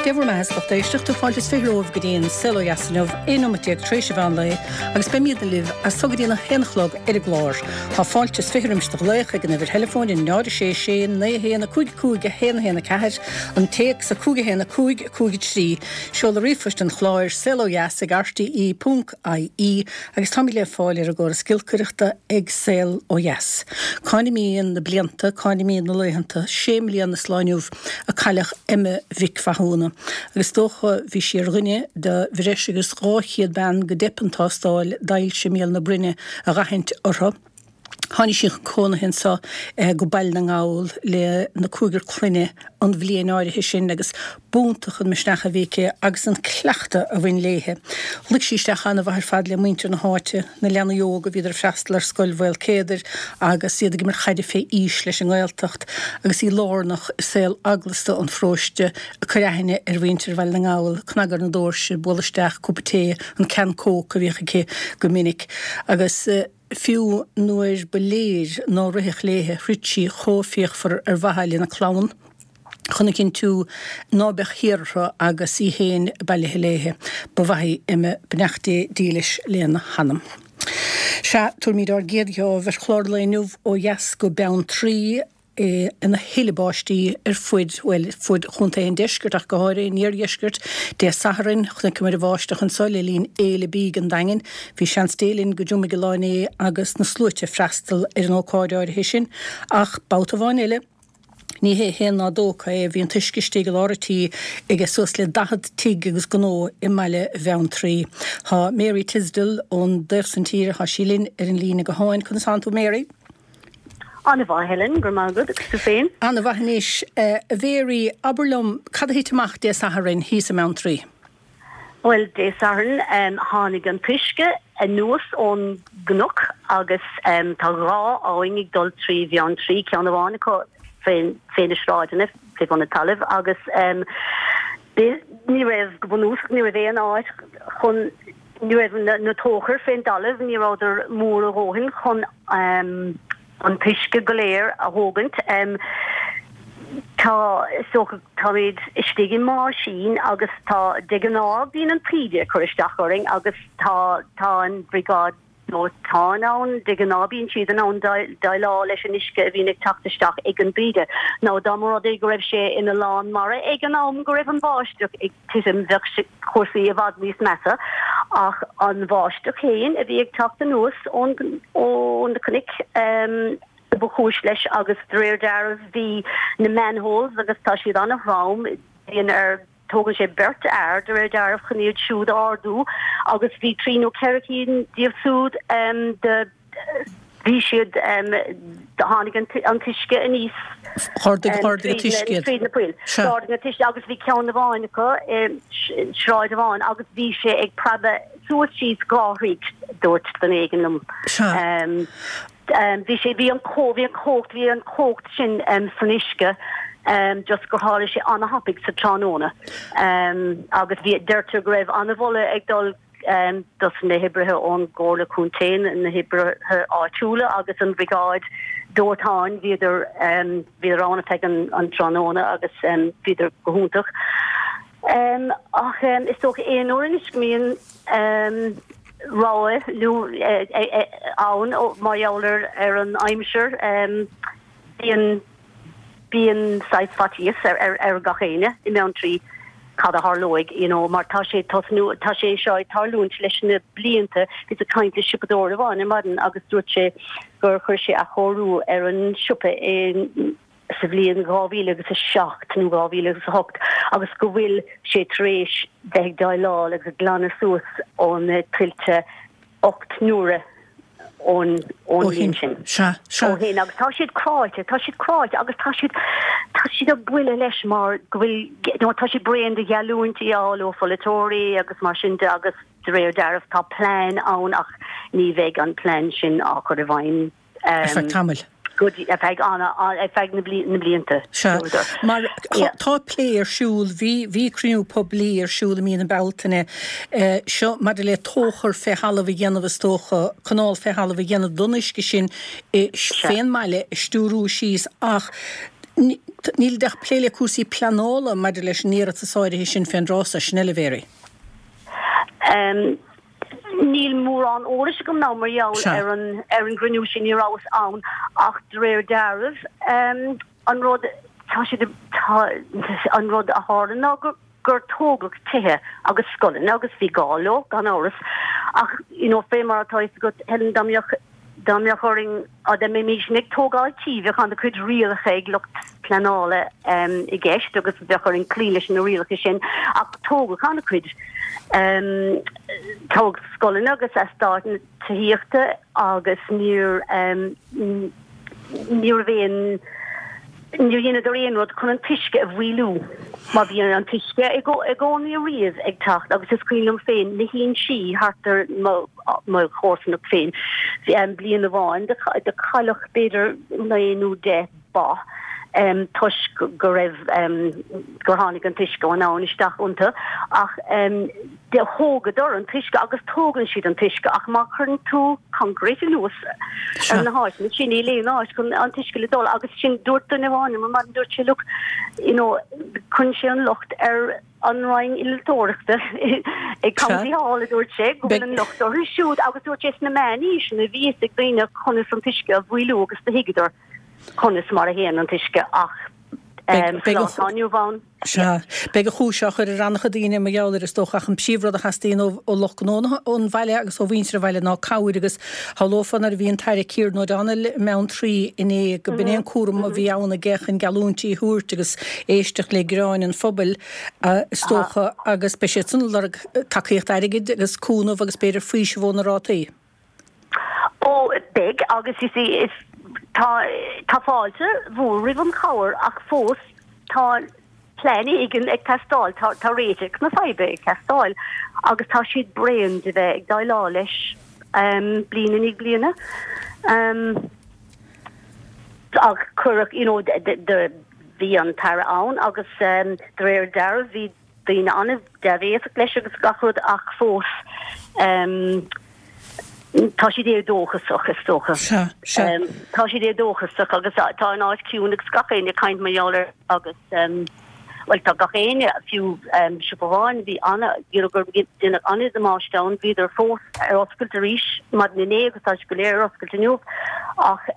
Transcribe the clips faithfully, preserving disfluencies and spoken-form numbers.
Dé bhur mbeatha a lucht éisteachta fáilte is fiche romhaibh go dtí an Saol Ó Dheas inniu, aon nóiméad déag tar éis an mheán lae, agus beimidne libh as so go dtí a haon a chlog ar an gclár. Tá fáilte is fiche roimis do ghlaoch ag an uimhir theileafóin a náid a sé sé naoi a haon a cúig a cúig a haon a haon a ceathair, an téacs a cúig a haon a cúig a cúig a trí, seoladh ríomhphoist an chláir, saol ó dheas ag rte ponc ie, agus táimid le fáil ar an gcóras giolcaireachta ag Saol Ó Dheas. Cá n-imíonn na blianta, cá n-imíonn na laethanta, sé mbliana is lá inniu a cailleadh Emma Mhic Mhathúna, agus is dócha bhí sí ar dhuine de bhreis agus dhá chéad bean go dteip an tástáil d'ailse míol na broinne a dh'aithint orthu. Tháinig sí chun cónaithe anso go Baile na nGall le na cúigear clainne an bhliain áirithe sin agus b'iontach an misneach a bhí aici agus an cleachtadh a bhain léithe. Luigh sí isteach an-mhaith ar fad le muintir na háite, na leanaí óga, bhíodar ag freastal ar Scoil Mhaolcéadair agus iad ag imirt chaide fé aois leis an nGaeltacht agus í lárnach i saol eaglasta an pharóiste ag cur aithne ar mhuintir Bhaile na nGall, cnagadh ar na doirse, bualadh isteach, cúpa tae, an can Coke a bhíodh aici go minic agus. Fiú nuair ba léir ná rithfeadh léithe, throid sí chomh fíochmhar ar mhaithe lena clann chun a chinntiú ná beadh thiar orthu agus í féin bailithe léithe. Ba mhaith í Emma, beannacht Dé dílis lena hanam. Sea, tabharfaimid ár gcéad gheábh ar chlár an lae inniu ó dheas go Beanntraí. ina thuile báistí ar fuid, bhuel, fuid Chontae an Deiscirt ach go háirithe, an Iardheiscirt. Dé Sathairn, chonaiceamar an bháisteach anso le linn Fhéile Bídh an Daingin. Bhí seans Dé linn go dtriomaigh an lá inné agus na sluaite ag freastal ar an ócáid áirithe sin. Ach babhta amháin eile, ní hé a haon ná dó acu é, bhí an t-uisce istigh i lár an tí aige suas le daichead tigh agus gnó i mbaile Bheanntraí. Tá Mary Tisdall ón dtaobh san tíre, tá sí linn ar an líne gutháin. Conas tánn tú, Mary? An-mhaith, Helen, go raibh maith agat, agus tú féin? An-mhaith anois. A Mhary, abair liom, cad a thit amach Dé Sathairn thíos i mBeanntraí? Bhuel, Dé Sathairn, tháinig an t-uisce anuas ón gcnoc agus tá dhá abhainn ag dul trí Bheanntraí, ceann amháin acu fé na sráideanna, fé bhun an talaimh, agus ní raibh, go bunúsach, ní raibh aon áit chun, ní raibh na tóchair fén dtalamh, ní rabhadar mór a dhóthain chun an t-uisce go léir a thógaint. Tá, is dócha, táimid istigh i mbáisín agus tá, de ghnáth bíonn an taoide ag cur isteach orainn agus tá, tá an bhriogáid dóiteáin ann, de ghnáth bíonn siad in ann déileáil leis an uisce a bhíonn ag teacht isteach ag an dtaoide. Nó dá mba rud é go raibh sé ina lán mara ag an am go raibh an bháisteach ag titim bheadh cúrsaí i bhfad níos measa ach an bháisteach féin a bhí ag teacht anuas ón ó na cnoic ba chúis leis agus de réir dealraimh bhí na manholes agus tá siad an-throm bíonn ar tógann sé beirt fhear de réir dealraimh chun iad siúd a ardú agus bhí trí nó ceithre cinn díobh siúd de Bhí siad, tháinig an t-uisce aníos. D'ardaigh, d'ardaigh an t-uisce iad. Tríd na poill. D'ardaigh an t-uisce agus bhí ceann amháin acu i sráid amháin agus bhí sé ag preabadh suas síos dhá throigh, dúirt duine éigin liom. Sea. Bhí sé, bhí an bhí an chumhacht, bhí an chumhacht sin san uisce just gur tharla sé an-thapaidh sa tráthnóna agus bhí, deirtear go raibh an-mholadh ag dul dos na hoibrithe ón gComhairle Contae, na hoibrithe áitiúla agus an bhriogáid dóiteáin, bhíodar bhíodar ann ar feadh an tráthnóna agus bhíodar go hiontach. Ach is dócha aon uair anois go mbíonn rabhadh nó ann mar gheall ar an aimsir, bíonn Bíonn saghas faitíos ar gach éinne i mBeanntraí cad a tharlóidh, you know, mar tá sé tosnú, tá sé seo ag tarlúint leis na blianta. Bhíos ag caint le siopadóir amháin ar maidin agus dúirt sé gur chuir sé athchóiriú ar an siopa i sa bhliain dhá mhíle agus a seacht nó dhá mhíle agus a hocht agus go bhfuil sé tar éis bheith ag déileáil agus ag glanadh suas ó na tuilte ocht n-uaire ón bhliain sin. Sea, sea. Ó shin agus tá siad cráite, tá siad cráite agus tá siad, tá siad ar buile leis mar go bhfuil, you know, tá siad bréan de gheallúintí a fháil ó pholaiteoirí agus mar sin de agus de réir dealraimh tá plean ann ach ní bheidh an plean sin á chur i bhfeidhm. Ar feadh tamaill. Go dtí, ar feadh ana, ar feadh na blianta. Sea. Mar tá plé ar siúl, bhí, bhí cruinniú poiblí ar siúl i mí na Bealtaine seo maidir le tóchar fé thalamh a dhéanamh is dócha, canáil fé thalamh a dhéanamh don uisce sin fén mbaile a stiúrú síos ach Níl ach plé le cúrsaí pleanála maidir leis an iarratas áirithe sin fén dtráth so, sin eile, a Mhary. Níl mórán eolais agam ná mar gheall ar an ar an gcruinniú sin, ní rabhas ann ach de réir dealraimh an rud tá siad tá an rud a tharla ná gur gur tógadh tithe agus scoileanna agus bhí gá leo gan amhras ach you know fé mar atá fhios agat Helen dá mbeadh dá mbeadh orainn dá mbeimis ag tógáil tí bheadh an-chuid rialacha ag lucht pleanála i gceist agus bheadh orainn cloí leis na rialacha sin ach tógadh an-chuid tógadh scoileanna agus eastáit tithíochta agus níor ní raibh aon Níor dheineadar aon rud chun an t-uisce a mhaolú mar bhí an t-uisce i gcónaí ariamh ag teacht agus is cuimhin liom féin na hinsí thart ar mo chomharsanacht féin bliain amháin do cailleadh b'fhéidir naoi nó deich ba toisc go raibh gur tháinig an t-uisce ón abhainn isteach iontu ach do thógadar an t-uisce agus tógann siad an t-uisce ach má chuireann tú concrete anuas ar na háiteanna sin níl aon áit chun an t-uisce le dul agus sin dúirt duine amháin liom mar dúirt sé look you know cuireann sé an locht ar an Roinn Innealtóireachta ag County Hall a dúirt sé go bhfuil an locht orthu siúd agus dúirt sé sna meánaoiseanna bhí fhios ag daoine conas an t-uisce a mhaolú agus do thuigeadar conas mar a théann an t-uisce ach sa lá atá inniu ann. Sea. Beidh an chúis á chur ar an-chuid daoine mar gheall air is dócha ach an príomhrud a theastaíonn ó lucht gnó an bhaile agus ó mhuintir an bhaile ná cabhair agus shamhlófá nuair a bhí an tAire Kieran O'Donnell i mBeanntraí inné go b'in é an cúram a bhí ann aige chun geallúintí a thabhairt agus éisteacht le gearáin an phobail is dócha agus beidh siad san ag lorg tacaíocht airgid agus cúnamh agus b'fhéidir faoiseamh ó na rátaí. Ó, beidh, agus you see, is, tá, tá fáilte mhór roimh an chabhair ach fós tá plean éigin ag teastáil, tá, tá réiteach na faidhbe ag teastáil agus tá siad bréan de bheith ag déileáil leis bliain i ndiaidh bliana. Ach cuireadh, you know, bhí an tAire ann agus de réir dealraimh bhí daoine an-dea-bhéasach leis agus gach rud ach fós tá siad éadóchasach is dócha. Sea, sea. Tá siad éadóchasach agus tá an áit ciúin agus gach éinne ag caint mar gheall air agus bhuel tá gach éinne, fiú siopa amháin bhí ana, you know gur deineadh an-damáiste ann, bhíodar fós ar oscailt arís maidin inné agus tá siad go léir ar oscailt inniu ach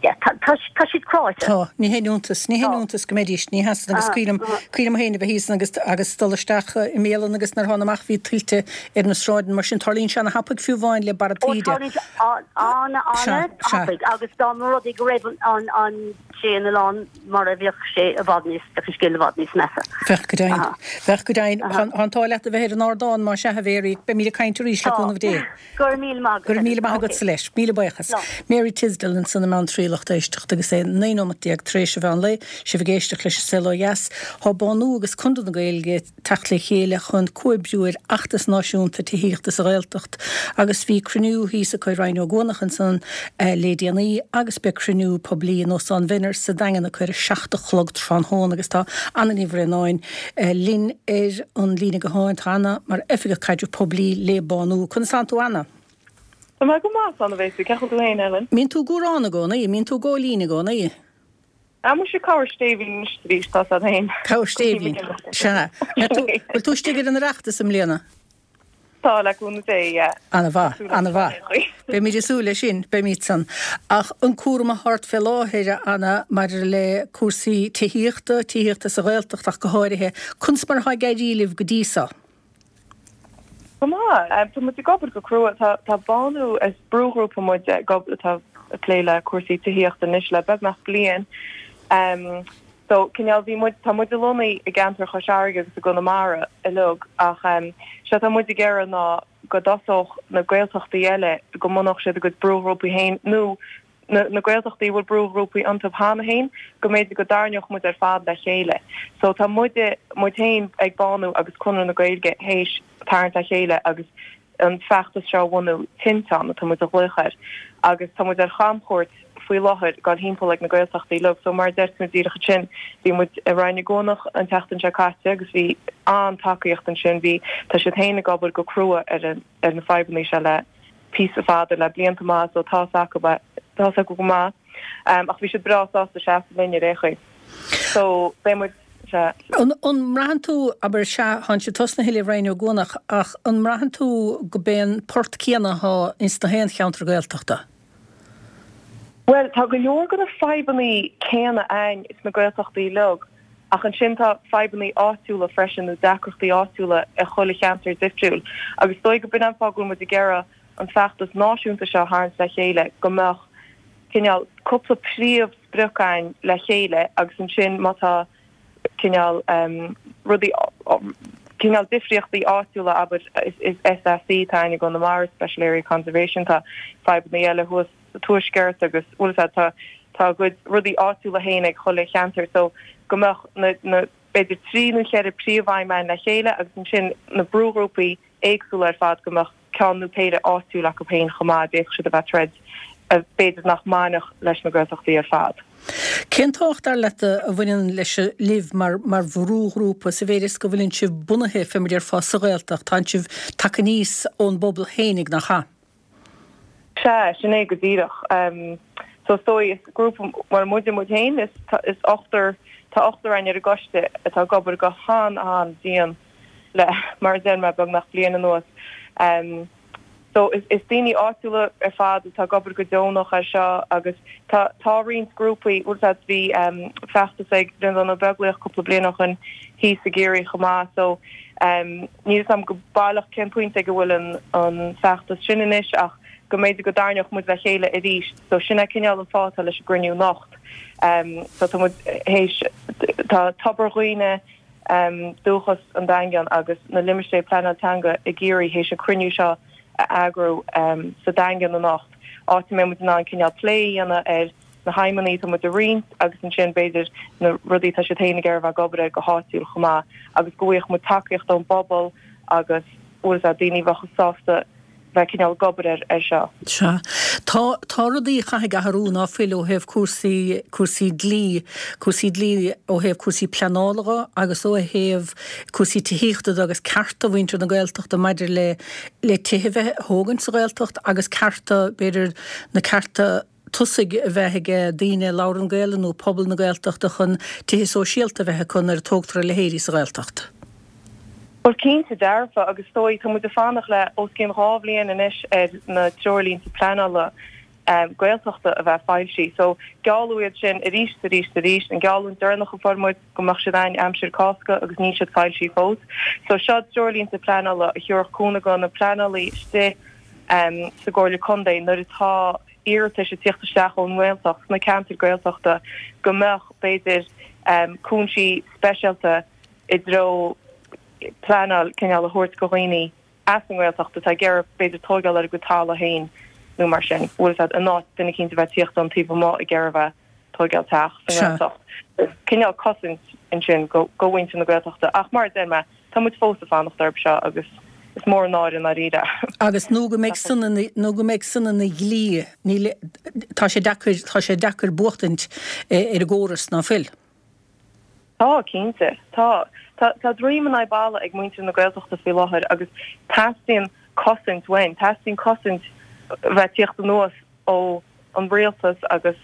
Yeah, tá, tá, tá siad cráite. Tá, ní haon iontas, ní haon iontas go mbeidís, ní hea san agus cuimhin liom, cuimhin liom féin a bheith thíos agus, agus dul isteach i mbialann agus nuair a thána amach bhí tuilte ar na sráideanna mar sin, tarlaíonn sé ana-thapaidh fiú amháin le barra Ó, taoide. tarlaíonn sé an, Sea, ana, sea. thapaidh agus dá mba rud é go raibh an, an, an, sé an oileán mar a bheadh sé i bhfad níos, bheadh an scéal i bhfad níos measa. Bheadh go deimhin, Aha. bheadh go deimhin. Aha. Tá an t-ádh leat a bheith ar an ardán más ea a Mhary, beimid ag caint arís le Tá. cúnamh Dé. Go raibh míle maith agat. Go raibh míle maith Okay. agatsa leis. Míle buíochas. Slán. Mary Tisdall ansan i mBeanntraí lucht éisteachta agus é naoi nóimeat déag tar éis an mheán lae. Sibh ag éisteacht leis an Saol Ó Dheas. Tá Bánú agus Conradh na Gaeilge ag teacht le chéile chun comhoibriú ar fheachtas náisiúnta tithíochta sa Ghaeltacht agus bhí cruinniú thíos acu i Rinn Ó gCuanach ansan le déanaí agus beidh cruinniú poiblí in Óstán Mhenner sa Daingean acu ar a seacht a chlog tráthnóna agus tá Anna Ní Bhraonáin linn ar an líne gutháin. Tá Anna mar Oifigeach Caidrimh Poiblí le Bánú. Conas tánn tú Anna? Tá mé go maith, slán a bheas tú. Cén chaoi a bhfuil tú féin, Ellen? Mbíonn tú cúránta i gcónaí, mbíonn tú góilín i gcónaí. Ah, muise cabhair Stéibhín anois arís, tá sad féin. Cabhair Stéibhín, sea. Bhfuil tú istigh ar an Oireachtas i mbliana? Tá, le cúnamh Dé, yeah. Ana-mhaith, ana-mhaith. Beimid ag súil leis sin, beimid san. Ach an cúram atá ort fé láthair, a Anna, maidir le cúrsaí tithíochta, tithíochta sa Ghaeltacht ach go háirithe, conas mar atá ag éirí libh go dtí so? Go maith. Tá muid ag obair go crua. Tá tá Bánú, is brúghrúpa muid ag obair atá ag plé le cúrsaí tithíochta anois le beagnach bliain. So, cineál, bhí muid, tá muid lonnaithe i gceantar Chois Fharraige agus i gConamara uilig ach sé atá muid ag iarraidh ná go dtosódh na Gaeltachtaí eile, go mbunódh siad a gcuid brúghrúpaí féin nó na na Gaeltachtaí a bhfuil brúghrúpaí iontu cheana féin, go mb'fhéidir go dtarraingeodh muid ar fad le chéile. So tá muide, muid féin ag Bánú agus Conradh na Gaeilge théis tarraingt le chéile agus an feachtas seo a bhunú, Tinteán atá muid a ghlaoch air, agus tá muid ar chamchuairt faoi láthair, ag dul thimpeall ag na Gaeltachtaí uilig. So mar a deir tú díreach ansin, bhí muid i Rinn na gCuanach an tseachtain seo caite agus bhí an-tacaíocht ansin, bhí, tá siad féin ag obair go crua ar an, ar na fadhbanna seo le píosa fada, le blianta maith, so tá's acu, tá's acu go maith. Ach bhí siad breá sásta seasamh linn ar aon chaoi. So beidh muid, sea. An mbraitheann tú, abair, sea, thánn sibh tosnaithe le Rinn Ó gCuanach, ach an mbraitheann tú go b'é an port céanna athá ins na haon cheantar Gaeltachta? Bhuel, tá go leor de na fadhbannaí céanna ann sna Gaeltachtaí uilig, ach ansin tá fadhbannaí áitiúla freisin nó deacrachtaí áitiúla i chuile cheantar difriúil. Agus is dóigh go b'in an fáth go bhfuil muid ag iarraidh an feachtas náisiúnta seo a tharraingt le chéile, go mbeadh cineál cúpla príomhsprioc ann le chéile agus ansin má tá cineál rudaí, cineál difríochtaí áitiúla, abair, is SAC atá ann i gConamara, Special Area Conservation, tá fadhbannaí eile thuas sa tuaisceart agus bhfuil a fhios agat tá tá a gcuid rudaí áitiúla féin ag chuile cheantar so go mbeadh na na b'fhéidir trí nó cheithre príomhaidhm ann le chéile agus ansin na brúghrúpaí éagsúla ar fad go mbeadh ceann nó péire áitiúil acu féin chomh maith d'fhéadfadh siad a bheith ag troid a b'fhéidir nach mbainfeadh leis na Gaeltachtaí ar fad. Cén tábhacht dar leat a bhaineann leis libh mar mar bhrúghrúpa sa mhéid is go bhfuileann sibh bunaithe fé mar a déarfá sa Ghaeltacht, tánn sibh tagtha aníos ón bpobal fhéinig nach ea? Sea, sin é go díreach. So is dóigh, is grúpa, bhuel, muide muid féin, is is ochtar, tá ochtar againn ar an gcoiste atá ag obair go han-an-dian le, mar a deir mé, beagnach bliain anuas. So is is daoine áitiúla ar fad atá ag obair go deonach air seo agus tá tá roinnt grúpaí, bhfuil a fhios agat, bhí feachtas ag Breandán Ó Beaglaoich cúpla bliain ó shin thíos i gCiarraí chomh maith so níl a fhios agam go baileach cén pointe ag a bhfuil an an feachtas sin anois ach go mb'fhéidir go dtarraingeodh muid le chéile arís so sin é cineál an fáth atá leis an gcruinniú anocht. So tá muid théis tá Tobar Dhuibhne, Dúchas an Daingean agus na Limistéir Pleanáil Teanga i gCiarraí théis an cruinniú seo a eagrú sa Daingean anocht, áit a mbeidh muid in ann cineál plé a dhéanamh ar na haidhmeanna atá muid a roinnt agus ansin b'fhéidir na rudaí atá siad féin ag iarraidh a bheith ag obair air go háitiúil chomh maith agus go bhfaigheadh muid tacaíocht ón bpobal agus bhfuil a fhios agat daoine a bheadh sásta bheith cineál ag obair air air seo. Sea. Tá, tá rudaí a chaithfidh athrú ná fuil ó thaobh cúrsaí, cúrsaí dlí, cúrsaí dlí ó thaobh cúrsaí pleanála dhe agus ó thaobh cúrsaí tithíochta de agus cearta mhuintir na Gaeltachta maidir le, le tithe a bheith a thógaint sa Ghaeltacht agus cearta, b'fhéidir, na cearta tosaigh a bheith ag daoine a labhrann Gaelainn nó pobal na Gaeltachta chun tithe sóisialta a bheith acu nuair a tógtar a leithéidí sa Ghaeltacht. Bhuel, cinnte dearfa, agus is dóigh, tá muid ag fanacht le os cionn dhá bhliain anois ar na treoirlínte pleanála Gaeltachta a bheith foilsithe. So, gealladh iad sin arís, arís, arís. An geallúint deireanach a fuair muid go mbeadh siad ann aimsir Cásca agus níl siad foilsithe fós. So, seo treoirlínte pleanála a thabharfadh cúnamh do na pleanálaí istigh sa gComhairle Contae nuair atá iarratais ag tíocht isteach ón nGaeltacht, sna ceantair Gaeltachta, go mbeadh, b'fhéidir, cúinsí speisialta i dtreo pleanáil cineál a thabhairt go dhaoine as an nGaeltacht atá ag iarraidh b'fhéidir tóigeáil ar a gcuid talamh féin nó mar sin, bhfuil a fhios agat, in áit duine eicínt a bheith tíocht ón taobh amuigh ag iarraidh a bheith tóigeáil teach sa nGaeltacht. Cineál cosaint ansin go go mhuintir na Gaeltachta ach mar a deir mé, tá muid fós ag fanacht orthu seo agus is mór an náire i ndáiríre. Agus nó go mbeidh san ina nó go mbeidh san ina dhlí, níl, tá sé deacair, tá sé deacair buachtaint ar an gcóras, ná fuil? Tá, cinnte. Tá. Tá, tá droim in aghaidh balla ag muintir na Gaeltachta faoi láthair agus teastaíonn cosaint uainn. Teastaíonn cosaint bheith tíocht anuas ó an rialtas agus,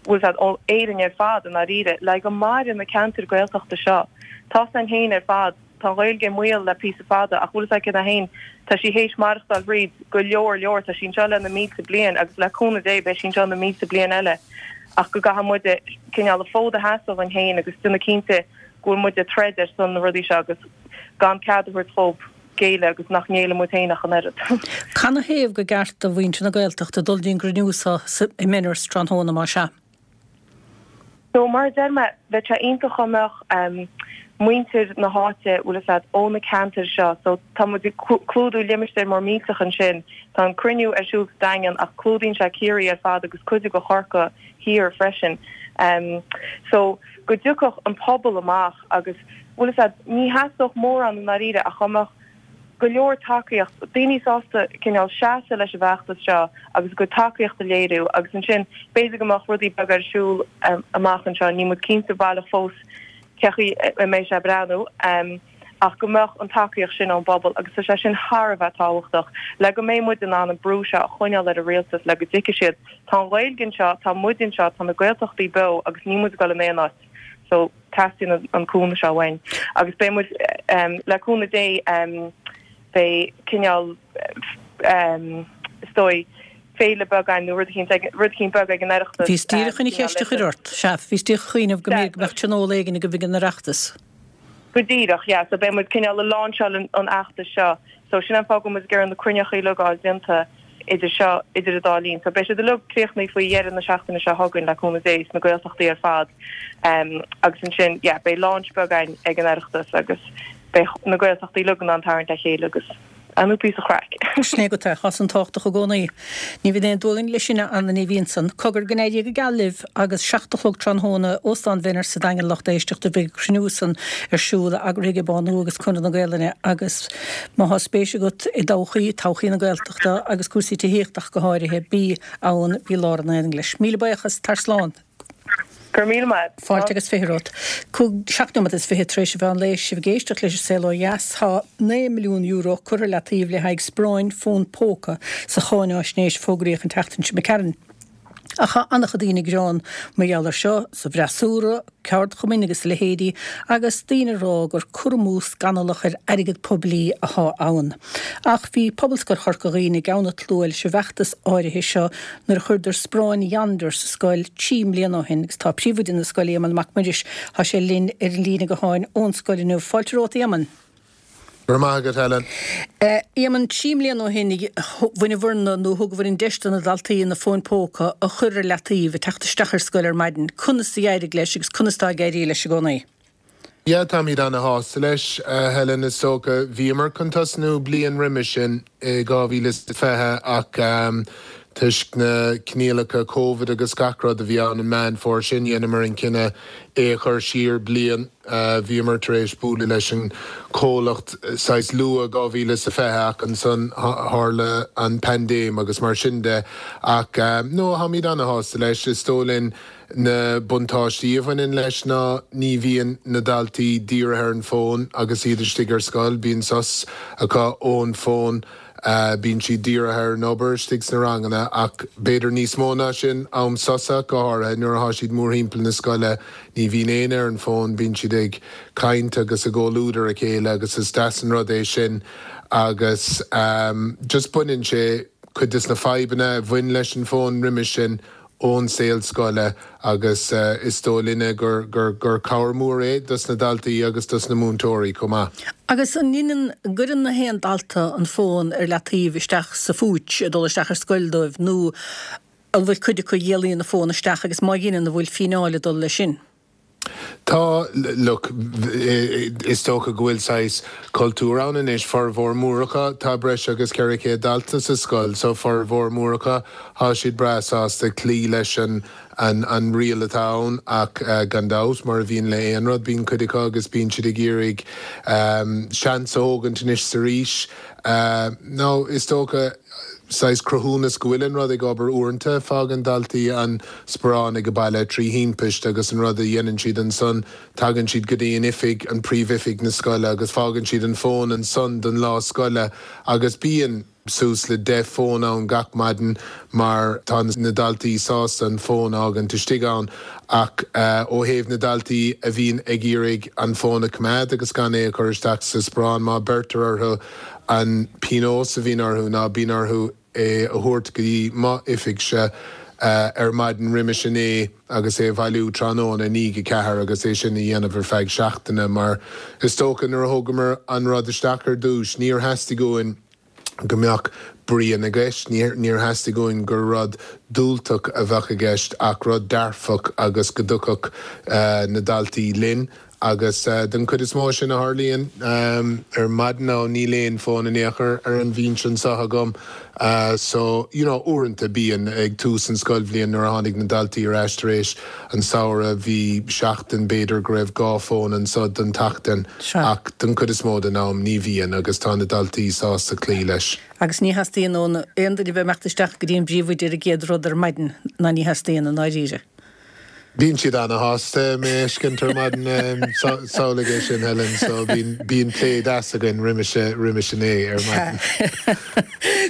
bhfuil a fhios agat, ó Éirinn ar fad i ndáiríre, le go maire na ceantair Gaeltachta seo. Tá a fhios againn féin ar fad, tá an Ghaeilge i mbaol le píosa fada ach bhfuil a fhios agat céard é féin, tá sí théis maireachtáil thríd go leor leor, tá sí anseo le na mílte bliain agus le cúnamh Dé beidh sí anseo na mílte bliain eile. ach go gcaithfidh muide cineál an fód a sheasamh againn féin agus déanamh cinnte go bhfuil muid ag troid ar son na rudaí seo agus gan cead a thabhairt dhóibh géilleadh agus nach ngéilleann muid féin ach an oiread. Canathaobh gur ceart do mhuintir na Gaeltachta dul dtí'n gcruinniú seo i Menaers tráthnóna, más ea? So, mar a deir mé, bheadh sé iontach dá mbeadh muintir na háite, bhfuil a fhios agat, ó na ceantair seo, so tá muid ag clúdú limistéar mór millteach ansin, tá an cruinniú ar siúl sa Daingean ach clúdaíonn sé Ciarraí ar fad agus cuid de Chorcaigh thiar freisin. So, go dtiocfadh an pobal amach agus, bhfuil a fhios agat, ní theastódh mórán i ndáiríre ach dá mbeadh go leor tacaíocht, daoine sásta cineál seasamh leis an bhfeachtas seo agus a gcuid tacaíocht a léiriú agus ansin b'fhéidir go mbeadh rudaí beaga ar siúl amach anseo, níl muid cinnte baileach fós cé chaoi a mbeidh sé ag breathnú ach go mbeadh an tacaíocht sin ón bpobal agus tá sé sin thar a bheith tábhachtach le go mbeidh muid in ann an brú seo a choinneáil ar an rialtas le go dtuigfidh siad tá an Ghaeilge anseo, tá muid anseo, tá na Gaeltachtaí beo agus níl muid ag dul in aon áit. So teastaíonn an cúnamh seo uainn. Agus beidh muid le cúnamh Dé beidh cineál is dóigh féile beag againn nó rud eicínt rud eicínt beag ag an Oireachtas. Bhíos díreach chun an cheist a chur ort, sea, bhíos díreach ag cuimhneamh go mb'fhéidir go mbeadh tionól éigin agaibh ag an Oireachtas. Go díreach, yeah, so beidh muid cineál ag lainseáil an fheachtais seo. So sin an fáth go bhfuil muid ag iarraidh na cruinneacha uilig a fháil déanta idir seo, idir an dá linn. So beidh siad uilig críochnaithe faoi dheireadh na seachtaine seo chugainn le cúnamh Dé sna Gaeltachtaí ar fad. Um, agus ansin, yeah, beidh launch beag againn ag an Oireachtas agus beidh na Gaeltachtaí uilig in ann tarraingt le chéile agus ar ndóigh píosa craic. Sin é agat é, tá san tábhachtach i gcónaí. Ní bhíonn aon dua linn leis sin, a Anna Ní Bhíonn Cogar go n-éirí go geal libh agus seacht a chlog tráthnóna, Óstán Mhenner sa Daingean lucht éisteachta beidh cruinniú san ar siúl eagraithe ag Bánú agus Conradh na Gaelainne agus má thá spéis agat i dtodhchaí, todhchaí na Gaeltachta agus cúrsaí tithíochta ach go háirithe, bí ann, bí lár an aonaigh leis. Míle buíochas, tar slán. Go raibh míle maith. Fáilte agus fiche romhat. Cúig, seacht nóiméad is fiche tar éis an mheán lae, sibh ag éisteacht leis an Saol Ó Dheas. Tá naoi milliún euro curtha le taobh le haghaidh sparáin fón póca sa cháináisnéis a fógraíodh an tseachtain seo imigh tharainn. Ach tá an-chuid daoine ag gearán mar gheall air seo, sa bhfreasúra, ceardchumainn agus a leithéidí, agus daoine ag rá gur cur amú scannalach ar airgead poiblí athá ann. Ach bhí Pobalscoil Chorca Dhuibhne i gceann an tslua leis an bhfeachtas áirithe seo nuair a chuireadar sparáin Yonder sa scoil trí mbliana ó shin agus tá príomhoide na scoile, Éamonn Mac Muiris, tá sé linn ar an líne gutháin ón scoil inniu. Fáilte romhat, a Éamoinn. Go raibh maith agat, Helen. Éamonn, trí mbliana ó shin bhaineabhair-na nó thugabhair an deis do na daltaí na fóin póca a chur ar leataobh ag teacht isteach ar scoil ar maidin. Conas a d'éirigh leis agus conas tá ag éirí leis i gcónaí? Yeah, táimid ana-shásta leis, Helen, is dócha. Bhíomar chun tosnú bliain roimhe sin i dhá mhíle is fiche ach toisc na coinníollacha Covid agus gach rud a bhí ann an Meán Fómhair sin, dheineamar an cinneadh é a chur siar bliain. Bhíomar tar éis bualadh leis an chomhlacht saghas luath dhá mhíle is a fiche ach ansan tharla an paindéim agus mar sin de. Ach no, táimid ana-shásta leis. Is dóigh linn na buntáistí a bhaineann leis ná ní bhíonn na daltaí dírithe ar an bhfón agus iad istigh ar scoil, bíonn sos acu ón bhfón. Bíonn siad dírithe ar an obair istigh sna ranganna ach b'fhéidir níos mó ná sin, am sosa, go háirithe nuair atá siad mórthimpeall na scoile, ní bhíonn éinne ar an bhfón, bíonn siad ag caint agus i gcomhluadar a chéile agus is deas an rud é sin agus just baineann sé cuid des na fadhbanna a bhain leis an bhfón roimhe sin ón saol scoile agus is dóigh linne gur gur cabhair mhór é dos na daltaí agus dos na múinteoirí chomh maith. Agus an ndeineann, an gcuireann na haon dalta an fón ar leataobh isteach sa phúits ag dul isteach ar scoil dóibh nó an bhfuil cuid acu a éalaíonn an fón isteach agus má dheineann an bhfuil fíneáil ag dul leis sin? Tá, look, is dócha go bhfuil saghas cultúr ann anois, formhór mór acu, tá breis agus ceithre chéad dalta sa scoil, so formhór mór acu, tá siad breá sásta cloí leis an an an riail atá ann ach gan dabht, mar a bhíonn le aon rud, bíonn cuid acu agus bíonn siad ag iarraidh seans a thógaint anois 's arís. Nó is dócha, saghas cruthúnas go bhfuil an rud ag obair uaireanta, fágann daltaí an sparán ag baile trí thimpist agus an rud a dhéanann siad ansan, tagann siad go dtí an oifig, an príomhoifig na scoile agus fágann siad an fón ansan don lá scoile agus bíonn suas le deich fón ann gach maidin mar tá na daltaí sásta an fón a fhágaint istigh ann ach ó thaobh na daltaí a bhíonn ag iarraidh an fón a choimeád agus gan é a chur isteach sa sparán má beirtear orthu An pionós a bhíonn orthu ná bíonn orthu é a thabhairt go dtí m'oifigse ar maidin roimis a naoi agus é a bhailiú tráthnóna i ndiaidh a ceathair agus é sin a dhéanamh ar feadh seachtaine mar is dócha nuair a thógamar an rud isteach ar dtús níor theastaigh uainn go mbeadh bruíon i gceist, níor theastaigh uainn gur rud diúltach a bheadh i gceist ach rud dearfach agus go dtiocfadh na daltaí linn. Agus den chuid is mó sin a tharlaíonn ar maidin now níl aon fón in aon chor ar an bhinse anseo agam so you know uaireanta bíonn ag tús an scoilbhliain nuair a tháinig na daltaí ar ais tar éis an samhradh bhí seachtain b'fhéidir go raibh dhá fón anseo don tseachtain ach den chuid is mó den am ní bhíonn agus tá na daltaí sásta cloí leis. Agus ní theastaíonn ó aon duine a bheith ag imeacht isteach go dtí an bpríomhoide ar an gcéad rud ar maidin ná ní theastaíonn i ndáiríre. Bíonn siad ana-shásta mé a fheiscint ar maidin samhlaigh é sin Helen so bíonn bíonn plé deas againn roimis roimis a naoi ar maidin.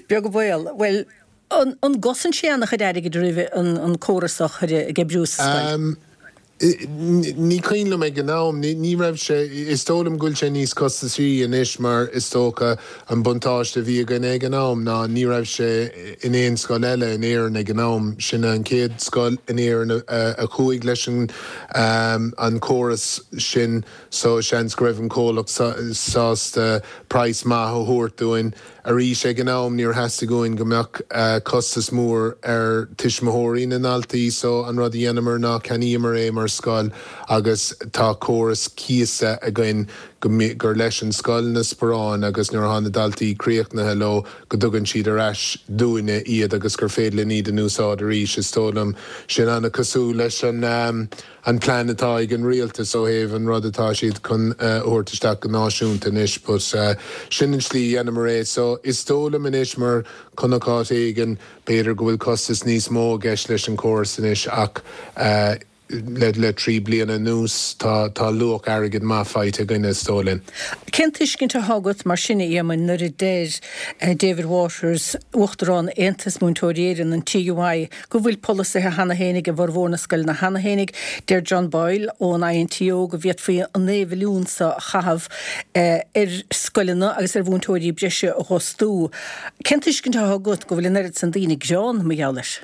Beag an baol. Bhuel, an an gcosain sé an-chuid airgid oraibh an an córas a chur ag oibriú sa scoil? Um, Ní cuimhin liom ag an am, ní raibh sé, is dóigh liom go bhfuil sé níos costasaí anois mar is dócha an buntáiste a bhí againn ag an am ná ní raibh sé in aon scoil eile in Éirinn ag an am. Sin an chéad scoil in Éirinn a chuaigh leis an an córas sin so seans go raibh an comhlacht sásta praghas maith a thabhairt dúinn. Arís, ag an am níor theastaigh uainn go mbeadh costas mór ar tuismitheoirí na ndaltaí so an rud a dhéanamar ná ceannaíomar é mar scoil agus tá córas cíosa againn go gur leis an scoil na sparáin agus nuair atá na daltaí críochnaithe leo go dtugann siad ar ais dúinne iad agus gur féidir linn iad a úsáid arís. Is dóigh liom sin an-cosúil leis an an plean atá ag an rialtas ó thaobh an rud atá siad chun a thabhairt isteach go náisiúnta anois but sin an slí a dhéanamar é. So is dóigh liom anois mar chonac áit éigin b'fhéidir go bhfuil costas níos mó i gceist leis an córas anois ach le le trí bliana anuas tá tá luach airgid maith faighte againn is dóigh linn. Cén tuiscint atá agat mar sin a Éamoinn nuair a deir David Waters, Uachtarán Aontas Múinteoirí Éireann, an TUI, go bhfuil polasaithe cheana féinig i bhformhór na scoileanna cheana féinig. Deir John Boyle ón INTO go bhféadfaí an naoi mhilliún seo a chaitheamh ar scoileanna agus ar mhúinteoirí breise a dh'fhostú. Cén tuiscint atá agat go bhfuil an oiread san daoine greann mar gheall air?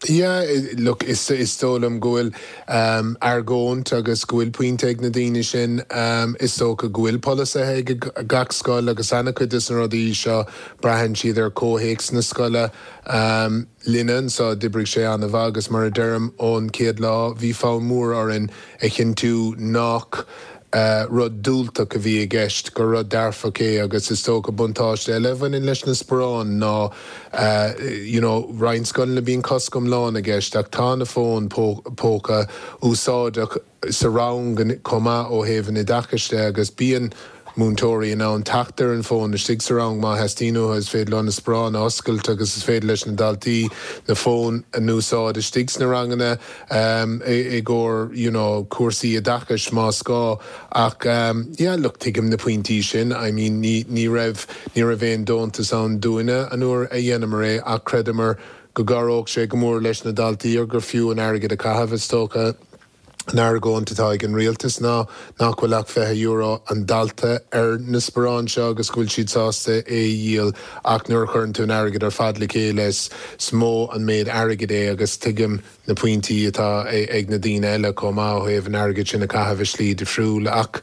Yeah, look, is is dóigh liom go bhfuil um, argóint agus go bhfuil pointe ag na daoine sin um, is dócha go bhfuil polasaithe ag gach scoil agus an-chuid de na rudaí seo braitheann siad ar comhthéacs na scoile um, linne anseo d'oibrigh sé an-mhaith agus mar a deirim ón chéad lá bhí fonn mór orainn a chinntiú nach rud diúltach a bhí i gceist, gur rud dearfach é agus is dócha buntáiste eile a bhaineann leis na sparáin ná you know roinnt scoileanna bíonn cosc iomlán i gceist ach tá na fóin póca úsáideach sa rang chomh maith ó thaobh an oideachais de agus bíonn múinteoirí in ann teacht ar an bhfón istigh sa rang má theastaíonn uathu, is féidir leo na sparáin a oscailt agus is féidir leis na daltaí na fóin a n-úsáid istigh sna ranganna i gcomhair you know cúrsaí oideachais más gá. Ach yeah look tuigim na pointí sin, I mean ní ní raibh ní raibh aon deontas ann dúinne an uair a dhéanamar é ach chreideamar go gcabhródh sé go mór leis na daltaí agus gur fiú an airgead a chaitheamh is dócha. An argóint atá ag an rialtas ná nach bhfuil ach fiche euro an dalta ar na sparáin seo agus go bhfuil siad sásta é a dhíol ach nuair a chuireann tú an airgead ar fad le chéile is mó an méid airgid é agus tuigim na pointí atá ag na daoine eile chomh maith ó thaobh an airgid sin a chaitheamh i slí difriúil ach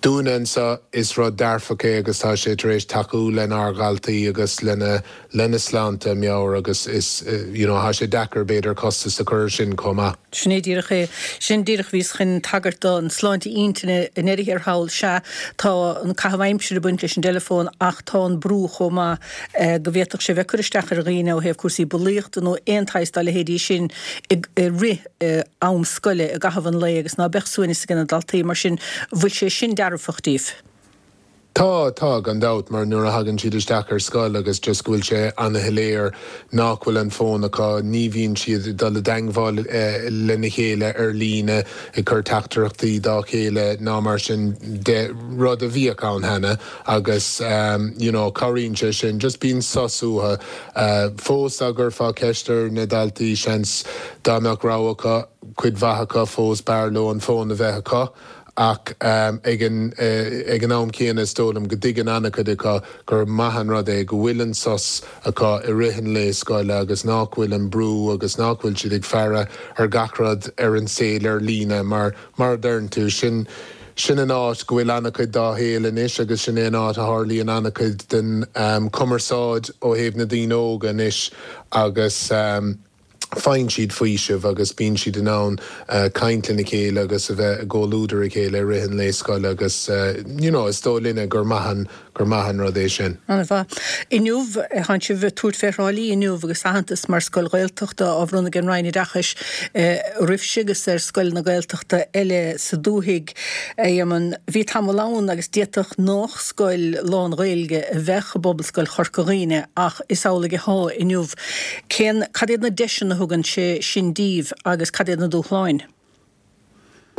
dúinne anseo is rud dearfach é agus tá sé tar éis tacú lenár ndaltaí agus lena lena sláinte meabhair agus is you know tá sé deacair b'fhéidir costas a chur air sin chomh maith. Sin é díreach é. Sin díreach bhíos chun tagairt don sláinte intinne i ndeireadh thiar thall. Sea, tá an caitheamh aimsire ag baint leis an dteileafón ach tá an brú chomh maith go bhféadfadh sé bheith ag cur isteach ar dhaoine ó thaobh cúrsaí bulaíochta nó aon tsaghas dá leithéidí sin i rith am scoile i gcaitheamh an lae agus ná beadh suaimhneas ag na daltaí mar sin bhfuil sé sin dearfach díobh? Tá, tá, gan dabht, mar nuair a thagann siad isteach ar scoil agus just go bhfuil sé ana-shoiléir nach bhfuil an fón acu, ní bhíonn siad ag dul i dteangmháil lena chéile ar líne, ag cur teachtaireachtaí dá chéile ná mar sin de, rud a bhíodh ann cheana agus you know cabhraíonn sé sin, just bíonn sos uathu. Fós dá gcuirfeá ceist ar na daltaí, seans dá mbeadh rogha acu, cuid mhaith acu fós b'fhearr leo an fón a bheith acu. Ach ag an ag an am céanna is dóigh liom go dtuigeann an-chuid acu gur maith an rud é go bhfuil an sos acu i rith an lae scoile agus nach bhfuil an brú agus nach bhfuil siad ag faire ar gach rud ar an saol ar líne mar, mar a deireann tú, sin sin an áit go bhfuil an-chuid dá shaol anois agus sin é an áit a tharlaíonn an-chuid den chumarsáid ó thaobh na daoine óga anois agus. faigheann siad faoiseamh agus bíonn siad in ann caint lena chéile agus a bheith i gcomhluadar a chéile i rith an lae scoile agus you know is dóigh linne gur maith an gur maith an rud é sin. An-mhaith. Inniu, tánn sibh ag tabhairt fé Thrá Lí inniu agus aitheantas mar scoil Ghaeltachta á bhronnadh ag an Roinn Oideachais oraibhse agus ar scoileanna Gaeltachta eile sa dúthaigh. A Éamoinn, bhí tamall ann agus d'fhéadfadh nách scoil lán-Ghaeilge a bheadh i bPobalscoil Chorca Dhuibhne ach is amhlaidh athá inniu. Cén, cad iad na deiseanna a thugann sé sin díbh agus cad iad na dúshláin?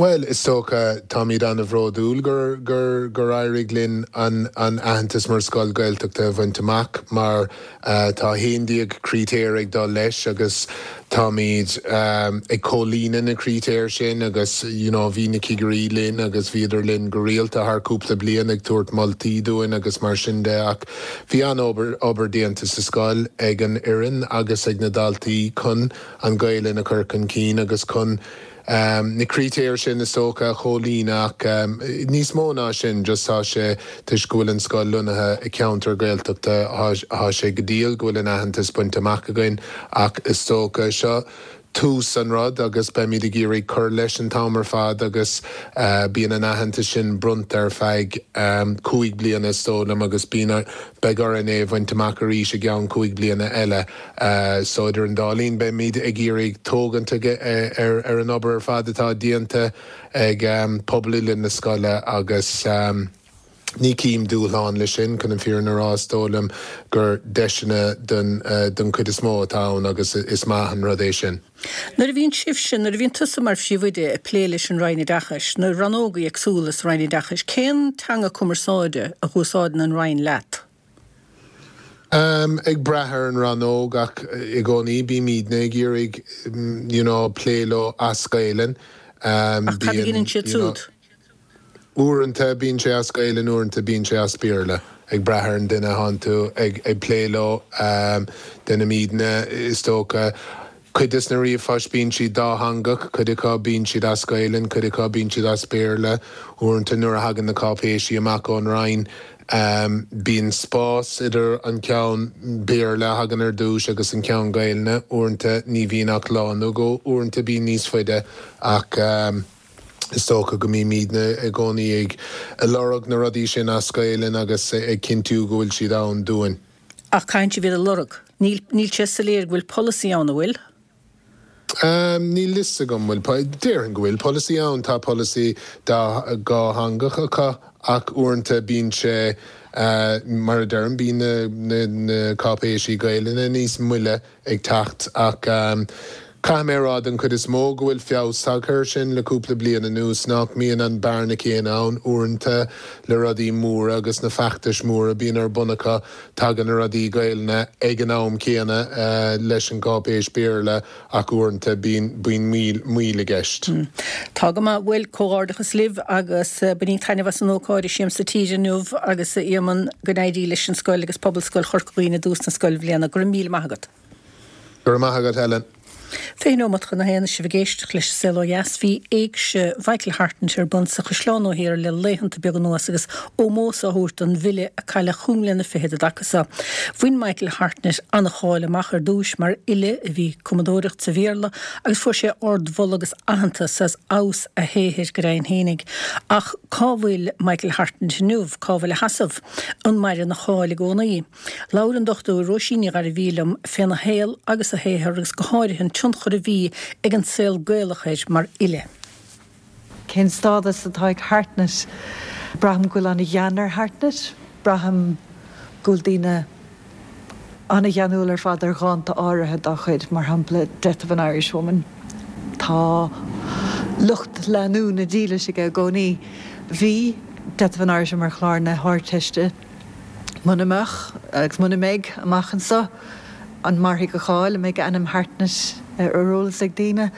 Bhuel, is dócha, táimid an-bhródúil gur gur gur éirigh linn an an aitheantas mar scoil Gaeltachta a bhaint amach mar tá haon déag critéar ag dul leis agus táimid ag comhlíonadh na critéir sin agus you know bhí na cigirí linn agus bhíodar linn go rialta thar cúpla bliain ag tabhairt moltaí dúinn agus mar sin de ach bhí an-obair obair déanta sa scoil ag an fhoireann agus ag na daltaí chun an Ghaelainn a chur chun cinn agus chun na critéir sin is dócha a chomhlíonadh ach níos mó ná sin just tá sé toisc go bhfuil an scoil lonnaithe i gceantar Gaeltachta tá sé go diail go bhfuil an aitheantas bainte amach againn ach is dócha seo tús an rud agus beimid ag iarraidh cur leis an t-am ar fad agus bíonn an aitheantas sin bronnta ar feadh cúig bliana is dóigh liom agus bíonn beidh orainn é a bhaint amach arís i gceann cúig bliana eile. So idir an dá linn beimid ag iarraidh tógaint ar ar an obair ar fad atá déanta ag pobal uile na scoile agus ní chím dúshlán leis sin, chun an fírinne a rá is dóigh liom gur deiseanna don don chuid is mó atá ann agus is maith an rud é sin. Nuair a bhíonn sibhse, nuair a bhíonn tusa mar phríomhoide ag plé leis an Roinn Oideachais, na rannógaí éagsúla sa Roinn Oideachais, cén teanga cumarsáide a úsáideann an Roinn leat? Um, ag brath ar an rannóg ach i gcónaí bímidne ag iarraidh you know, plé leo as Gaelainn. Um, ach cad a dhéanann siad siúd? Uaireanta bíonn sé as Gaelainn, uaireanta bíonn sé as Béarla. Ag brath ar an duine a thánn tú ag, ag plé leo. Um, déanaimidne is dócha. Cuid des na ríomhphoist bíonn siad dátheangach, cuid acu bíonn siad as Gaelainn, cuid acu bíonn siad as Béarla. Uaireanta nuair a thagann na cáipéisí amach ón Roinn, bíonn spás idir an ceann Béarla a thagann ar dtús agus an ceann Gaelainne. Uaireanta ní bhíonn ach lá nó dhó, uaireanta bíonn níos faide ach is dócha go mbímidne i gcónaí ag lorg na rudaí sin as Gaelainn agus ag cinntiú go bhfuil siad ann dúinn. Ach caitheann sibh iad a lorg. Níl, níl sé soiléir go bhfuil polasaí ann, an bhfuil? Níl fhios agam bhfuil, déarfainn go bhfuil polasaí ann, tá polasaí dhátheangach acu ach uaireanta bíonn sé, mar a deirim, bíonn na na cáipéisí Gaelainne níos moille ag teacht ach caithfidh mé a rá den chuid is mó go bhfuil feabhas tagtha air sin le cúpla bliain anuas, nach mbíonn an bearna céanna ann uaireanta le rudaí móra agus na feachtais móra a bíonn ar bun acu, tagann na rudaí Gaelainne ag an am céanna leis an gcáipéis Béarla ach uaireanta bíonn bíonn moill moill i gceist. Tá go maith. Bhuel, comhghairdeachas libh agus bainíg taitneamh as an ócáid i Siamsa Tíre inniu agus a Éamoinn go n-éirí leis an scoil agus Pobalscoil Chorca Dhuibhne i dtús na scoilbhliana. Go raibh míle maith agat. Go raibh maith agat, Helen. Fiche nóimeat chun a haon is sibh ag éisteacht leis an Saol Ó Dheas. Bhí Éigse Mhichael Hartnett ar bun sa Chaisleán Ó Thiar le laethanta beaga anuas agus ómós á thabhairt don bhfile a cailleadh chúig mbliana fichead i dtaca seo. Bhain Michael Hartnett an-cháil amach ar dtúis mar fhile a bhí ag cumadóireacht sa Bhéarla agus fuair sé ardmholadh agus aitheantas as fheabhas a shaothair go deimhin fhéinig. Ach cá bhfuil Michael Hartnett inniu? Cá bhfuil a sheasamh? An maireann a cháil i gcónaí? Labhair an Dochtúir Róisín Ní Ghairbhí liom féna shaol agus a shaothar agus go háirithe an tionchar a bhí ag an saol Gaelach air mar fhile. Cén stádas atá ag Hartnett? Braithim go bhfuil an-ghean ar Hartnett. Braithim go bhfuil daoine an-gheanúil ar fad ar dhánta áirithe dá chuid, mar shampla Death of an Irishwoman. Tá lucht leanúna dílis aige i gcónaí. Bhí Death of an Irishwoman ar chlár na hArdteiste. Muna mbeadh, agus muna mbeidh, amach anso, an mairfidh a cháil, an mbeidh ainm Hartnett ar eolas ag daoine?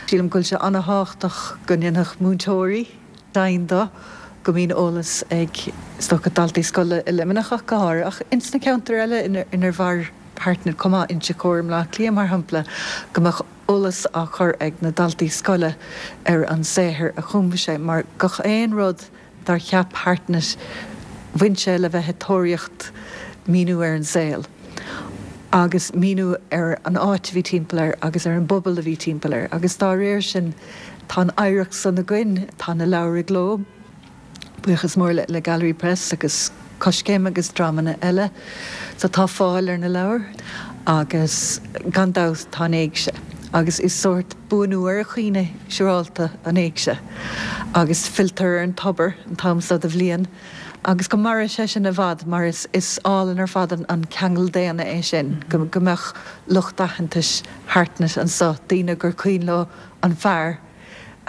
Sílim go bhfuil sé an-thábhachtach go ndéanfadh múinteoirí deimhin de go mbíonn eolas ag, is dócha, daltaí scoile i Luimneach ach go háirithe, ach ins na ceantair eile inar mhair Hartnett chomh maith, Inse Chór i mBleá Cliath mar shampla, go mbeadh eolas á chur ag na daltaí scoile ar an saothar a chum sé, mar gach aon rud dár cheap Hartnett, bhain sé le bheith ag tóraíocht míniú ar an saol agus míniú ar an áit a bhí timpeall air agus ar an bpobal a bhí timpeall air agus dá réir sin tá an oidhreacht san againn, tá na leabhair i gcló, buíochas mór le Gallery Press agus Coiscéim agus dreamanna eile, so tá fáil ar na leabhair agus gan dabht tá an éigse agus is sórt buanú ar a chuimhne siúrálta an éigse agus filltear ar an tobar an t-am seo de bhliain agus go maire sé sin i bhfad mar is is álainn ar fad an ceangal daonna é sin go go mbeadh lucht aitheantais Hartnett anso, daoine gur cuimhin leo an fear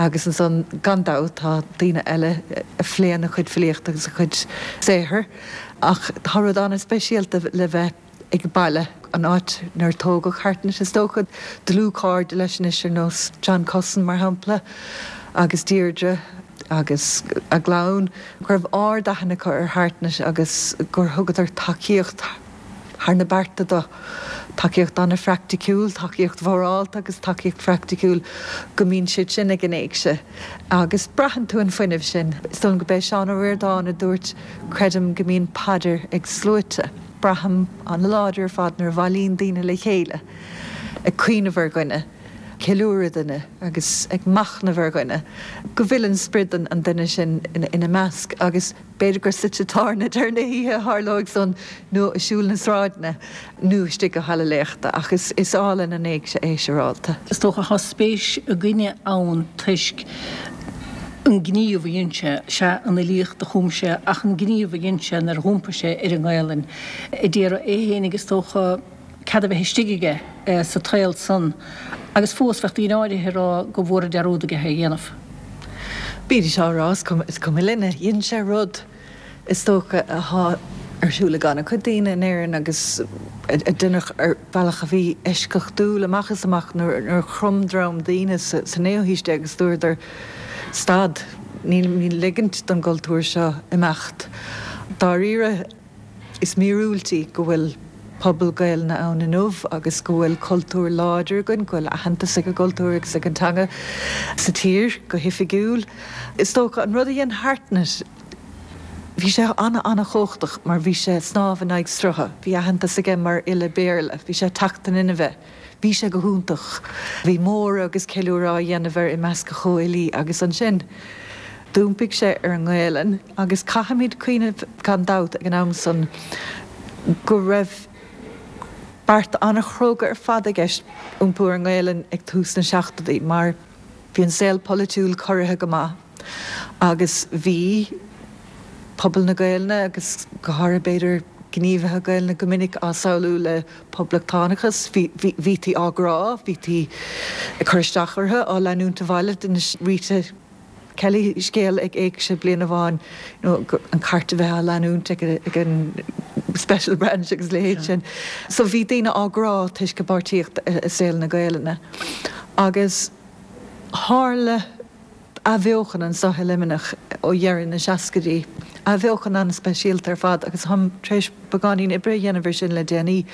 Agus ansan, gan dabht, tá daoine eile a phléann a chuid filíochta agus a chuid saothair, ach tá rud an-speisialta le bheith ag baile, an áit inar tógadh Hartnett, is dócha, dlúthchairde leis anois ar nós John Cussen, mar shampla, agus Deirdre agus a gclann, go raibh ard-aithne acu ar Hartnett agus gur thugadar tacaíocht thar na bearta dó, tacaíocht an-phraiticiúil, tacaíocht mhorálta agus tacaíocht phraiticiúil, go mbíonn siad sin ag an éigse agus braitheann tú an fuinneamh sin. Is dóigh liom go b'é Seán Ó Ríordáin a dúirt, Creidim go mbíonn paidir ag sluaite. Braithim an-láidir ar fad nuair a bhailíonn daoine le chéile ag cuimhneamh ar dhuine, ceiliúradh duine agus ag machnamh ar dhuine, go bhfilleann sprid an duine sin ina measc agus b'fhéidir gur sa tigh tábhairne deireadh na hoíche a tharlóidh san nó ag siúl na sráideanna nó istigh i halla léachta ach is álainn an éigse é siúrálta. Is dócha tá spéis againne ann toisc an gníomh a dhein sé, sea an fhilíocht a chum sé ach an gníomh a dhein sé nuair a dh'iompaigh sé ar an nGaelainn a d'iarraidh é fhéinig is dócha cead a bheith istigh aige sa tsaol san agus fós bheadh daoine áirithe ag rá go bhfuaradh dearúd aige é a dhéanamh. Bídís á rá, is cuma linne. Dhein sé rud is dócha athá ar siúl ag an-chuid daoine in Éirinn agus a deineadh ar bhealach a bhí eisceachtúil amach is amach nuair a chrom dream daoine sa naoú haois déag agus dúradar stad, nílimid ligint don gcultúr seo imeacht. Dáiríre, is míorúilt í go bhfuil pobal Gaelainne ann inniu agus go bhfuil cultúr láidir againn, go bhfuil aitheantas ag an gcultúr agus ag an teanga sa tír go hoifigiúil. Is dócha, an rud a dhein Hartnett, bhí sé an-an-chumhachtach mar bhí sé ag snámh in aghaidh srutha, bhí aitheantas aige mar fhile Béarla, bhí sé ag teacht in inmhe, bhí sé go hiontach. Bhí móradh agus ceiliúradh á dhéanamh air i measc a chomhfhilí agus ansin d'iompaigh sé ar an nGaelainn agus caithfimid cuimhneamh gan dabht ag an am san go raibh beart an-chróga ar fad i gceist iompú ar an nGaelainn ag tús na seachtóidí mar bhí an saol polaitiúil corraithe go maith agus bhí pobal na Gaelainne agus go háirithe b'fhéidir gníomhaithe Gaelainne go minic á samhlú le poblachtánachas. Bhítí á gcrá, bhítí ag cur isteach orthu, á leanúint abhaile. D'inis Rita Kelly scéal ag Éigse bliain amháin, you know, an cairt a bheith á leanúint ag an Special Branch agus a leithéid sin. So bhí daoine á gcrá toisc a bpáirtíocht i saol na Gaelainne. Agus tharla athbheochan anseo i Luimneach ó dheireadh na seascaidí, athbheochan an-speisialta ar fad agus táim tar éis beagáinín oibre a dhéanamh ar sin le déanaí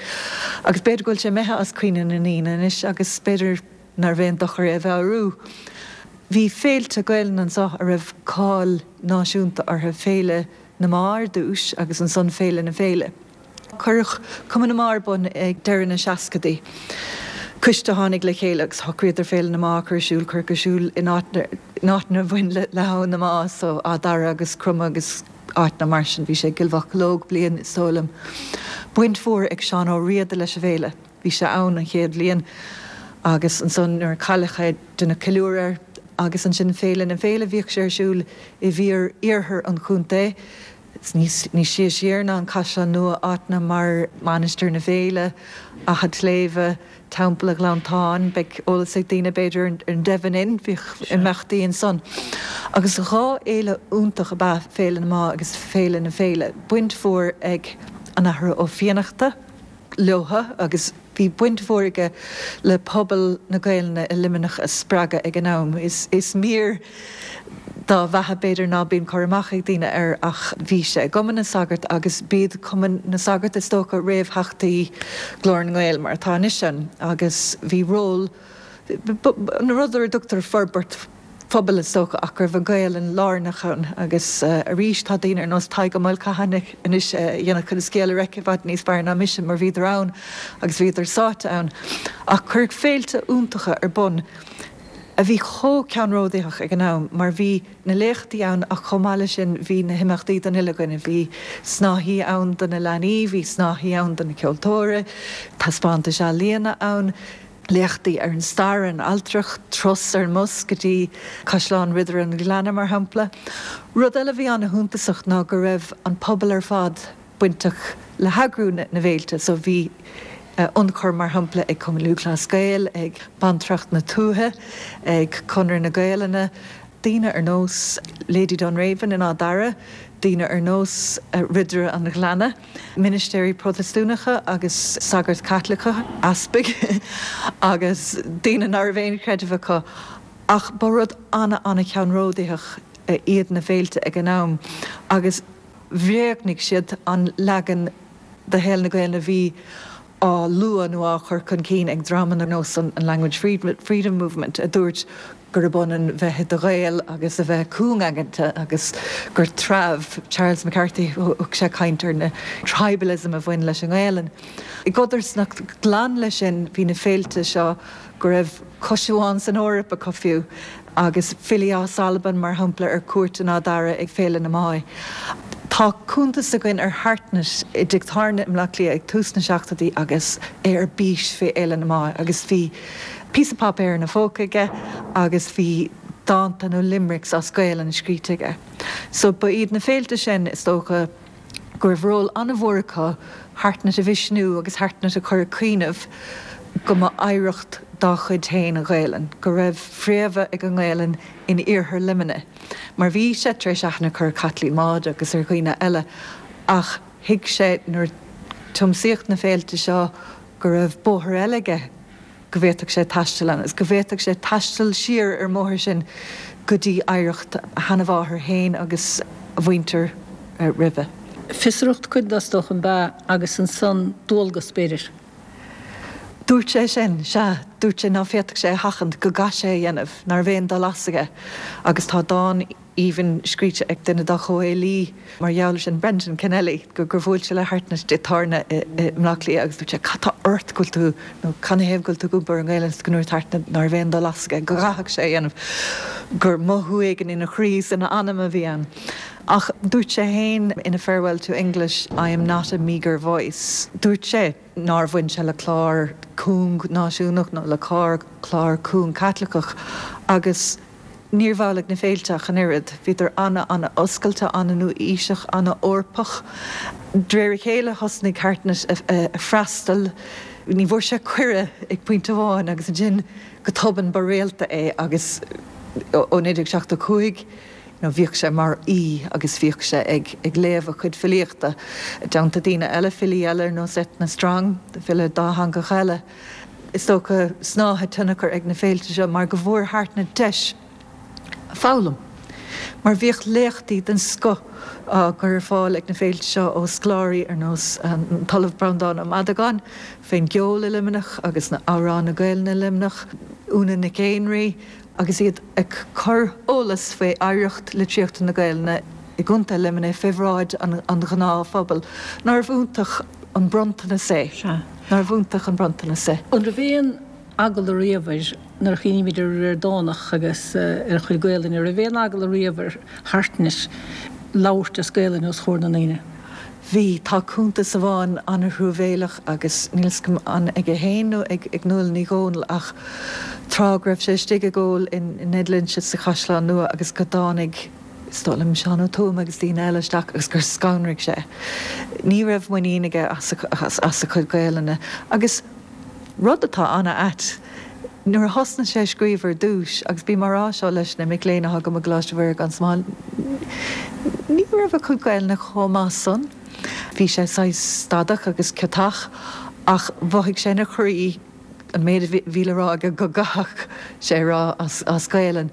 agus b'fhéidir go bhfuil sé imithe as cuimhne na ndaoine anois agus b'fhéidir nárbh aon dochar é a mheabhrú. Bhí féilte Gaelainne anseo a raibh cáil náisiúnta orthu, Féile na mBá ar dtús agus ansan Féile na Féile. Cuireadh Cumann na mBá ar bun ag deireadh na seascadaí. Coiste a tháinig le chéile agus shocraíodar Féile na mBá a chur ar siúl. Cuireadh ar siúl in áiteanna a bhain le hAbhainn na Má, so Áth Dara agus Cromadh agus áiteanna mar sin. Bhí sé i gCill Mhocheallóg bliain, is dóigh liom. Baint mhór ag Seán Ó Riada leis an bhféile. Bhí sé ann an chéad bhliain agus ansan nuair a cailleadh é deineadh ceiliúradh air agus ansin Féile na Féile bhíodh sé ar siúl i bhfíor iarthar an chontae, níos sia siar ná an Caisleán Nua, áiteanna mar Mainistir na Féile, Achadh tSléibhe, Teampall an Ghleanntáin, beidh eolas ag daoine b'fhéidir ar an Devon Inn, bhíodh imeachtaí ansan. Agus dhá fhéile iontach ab ea Féile na mBá agus Féile na Féile, baint mhór ag an Athair Ó Fiannachta leotha agus bhí baint mhór aige le pobal na Gaelainne i Luimneach a spreagadh ag an am. Is mír dá bheatha b'fhéidir ná bíonn cur amach ag daoine air ach bhí sé i gCumann na Sagart agus b'iad Cumann na Sagart is dócha réamhtheachtaí Glór na nGael mar atá anois ann agus bhí ról an rud ar a dtugtar forbairt phobail is dócha ach go raibh an Ghaelainn lárnach ann agus arís tá daoine ar nós Tadhg Ó Maolchatháin anois a dhéanfadh an scéal a reic i bhfad níos fearr ná mise mar bhíodar ann agus bhíodar sáite ann ach cuireadh féilte iontacha ar bun a bhí chomh ceannródaíoch ag an am mar bhí na léachtaí ann ach chomh maith leis sin bhí na himeachtaí don uile dhuine, bhí snáithí ann do na leanaí, bhí snáithí ann do na ceoltóirí, taispeántais ealaíona ann, léachtaí ar an stair, an ailtireacht, turas ar an mbus go dtí Caisleán Ridire an Ghleanna mar shampla. Rud eile a bhí an-shuntasach ná go raibh an pobal ar fad bainteach le heagrú na bhféilte so bhí ionchur mar shampla ag Cumann Lúthchleas Gael, ag Bantracht na Tuaithe, ag Conradh na Gaelainne, daoine ar nós Lady Dunraven in Áth Dara, daoine ar nós Ridire an Ghleanna, ministéirí Protastúnacha agus sagairt Chaitliceacha, easpaig agus daoine nach raibh aon chreideamh acu. Ach ba rud an-an-cheannródaíoch iad na féilte ag an am agus bhréagnaigh siad an leagan de shaol na Gaelainne a bhí á lua nó á chur chun cinn ag dreamanna ar nós an Language Freedom Movement a dúirt gurb ionann bheith i do Ghael agus a bheith cúngaigeanta agus gur treabh Charles McCarthy thug sé caint ar na tribalism a bhain leis an nGaelainn. I gcodarsnacht glan leis sin bhí na féilte seo go raibh cois amháin san Eoraip acu fiú agus filí as Albain mar shampla ar cuairt in Áth Dara ag Féile na Má. Tá cuntas againn ar Hartnett i dtigh tábhairne i mBleá Cliath ag tús na seachtóidí agus é ar bís fé Fhéile na Má agus bhí píosa páipéir ina phóca aige agus bhí dánta nó limericks as Gaelainn scríte aige. So ba iad na féilte sin is dócha go raibh ról an-mhór acu Hartnett a mhisniú agus Hartnett a chur ag cuimhneamh go mba oidhreacht dá chuid féin an Ghaelainn, go raibh fréamha ag an nGaelainn in iarthar Luimnigh, mar bhí sé tar éis aithne a chur ar Chaitlín Maude agus ar dhaoine eile, ach thuig sé nuair a tiomsaíodh na féilte seo go raibh bóthar eile aige go bhféadfadh sé taisteal ann, agus go bhféadfadh sé taisteal siar ar an mbóthar sin go dtí oidhreacht a sheanmháthar féin agus a mhuintir roimhe. Fiosracht cuid de is dócha ab ea agus ansan dualgas b'fhéidir. Dúirt sé sin, sea, dúirt sé ná féadfadh sé a sheachaint, go gcaithfeadh sé a dhéanamh, ná raibh aon dul as aige. Agus tá dán aoibhinn scríte ag duine dá chomhfhilí mar gheall air sin, Brendan Kennelly, gur bhuail sé le Hartnett i dtigh tábhairne i mBleá Cliath agus dúirt sé, cad tá ort go bhfuil tú, nó canathaobh go bhfuil tú ag iompar ar an nGaelainn, is go ndúirt Hartnett ná raibh aon dul as aige, go gcaithfeadh sé a dhéanamh, gur mothú éigin ina chroí is ina anam a bhí ann. Ach dúirt sé féin in A Farewell to English, I am not a meagre voice. Dúirt sé nár bhain sé le clár cúng náisiúnach nó le clár clár cúng Caitliceach agus níorbh amhlaidh na féilte ach an oiread. Bhíodar an-an-oscailte, an-nua-aoiseach, an-Eorpach. De réir a chéile thosnaigh Hartnett a freastal. Ní bhfuair sé cuireadh ag pointe amháin agus ansin go tobann ba réalta é agus ó naoi déag seachtó cúig nó bhíodh sé mar aoi agus bhíodh sé ag ag léamh a chuid filíochta i dteannta daoine eile, filí eile ar nós Etna Strong, file dátheangach eile. Is dócha snáithe tionchair ag na féilte seo mar go bhfuair Hartnett deis foghlaim. Mar bhíodh léachtaí den scoth á gcur ar fáil ag na féilte seo ó scoláirí ar nós an tOllamh Breandán Ó Madagáin fén gceol i Luimneach agus na amhráin na Gaelainne i Luimneach, Úna Nic Éinrí, agus iad ag cur eolas faoi oidhreacht litríochta na Gaelainne i gContae Luimnigh fé bhráid an ghnáthphobail. Nárbh iontach an bronntanas é? Sea. Nárbh iontach an bronntanas é? An raibh aon eagla riamh air, nuair a chuimhnímid ar an Ríordánach agus ar a chuid Gaelainne, an raibh aon eagla riamh ar Hartnett labhairt as Gaelainn os comhair na ndaoine? Bhí. Tá cuntas amháin an-truamhéileach agus níl 's agam an aige féin nó ag Nuala Ní Dhomhnaill ach tráth go raibh sé istigh ag ól i Ned Lynch's sa Chaisleán Nua agus go dtáinig, is dóigh liom, Seán Ó Tuama agus daoine eile isteach agus gur scanraigh sé. Ní raibh muinín aige as a chuid Gaelainne agus rud atá an-ait, nuair a thosnaigh sé ag scríobh ar dtús, agus bím á rá seo leis na mic léinn atá agam i gColáiste Mhuire gan Smál, ní raibh a chuid Gaelainne chomh maith san. Bhí sé saghas stadach agus ciotach ach mhothaigh sé ina chroí an méid a bhí le rá aige go gcaithfeadh sé a rá as Gaelainn.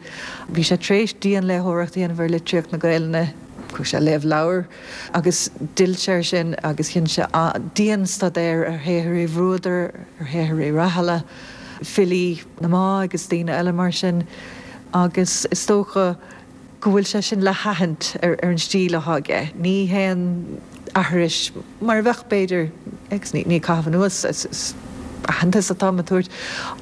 Bhí sé tar éis dianléitheoireacht a dhéanamh ar litríocht na Gaelainne, chuaigh sé ag léamh leabhar agus d'fhill sé air sin agus dhein sé dianstaidéar ar shaothar Uí Bhruadair, ar shaothar Uí Rathaille, filí na Má agus daoine eile mar sin agus is dócha go bhfuil sé sin le haithint ar an stíl atá aige. Ní haon aithris mar a bheadh b'fhéidir, agus ní ag caitheamh anuas, is aitheantas atáim a thabhairt,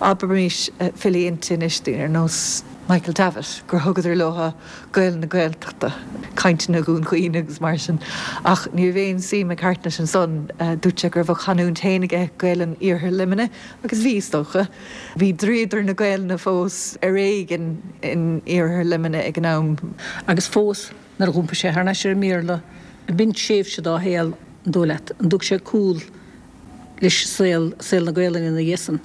abraimis filí innti anois, daoine ar nós Michael Davitt, gur thugadar leo Gaelainn na Gaeltachta, cainteanna Dhún Chaoin agus mar sin. Ach ní raibh aon suim ag Hartnett ansan, dúirt sé go raibh a chanúint féin aige, Gaelainn Iarthar Luimnigh, agus bhí, is dócha. Bhí dríodar na Gaelainne fós ar éigean in Iarthar Luimnigh ag an am. Agus fós, nuair a dh'iompaigh sé thar n-ais ar an mBéarla, b'in tréimhse dá shaol, an dóigh leat, an dtug sé cúl leis saol, saol na Gaelainne ina dhiaidh san?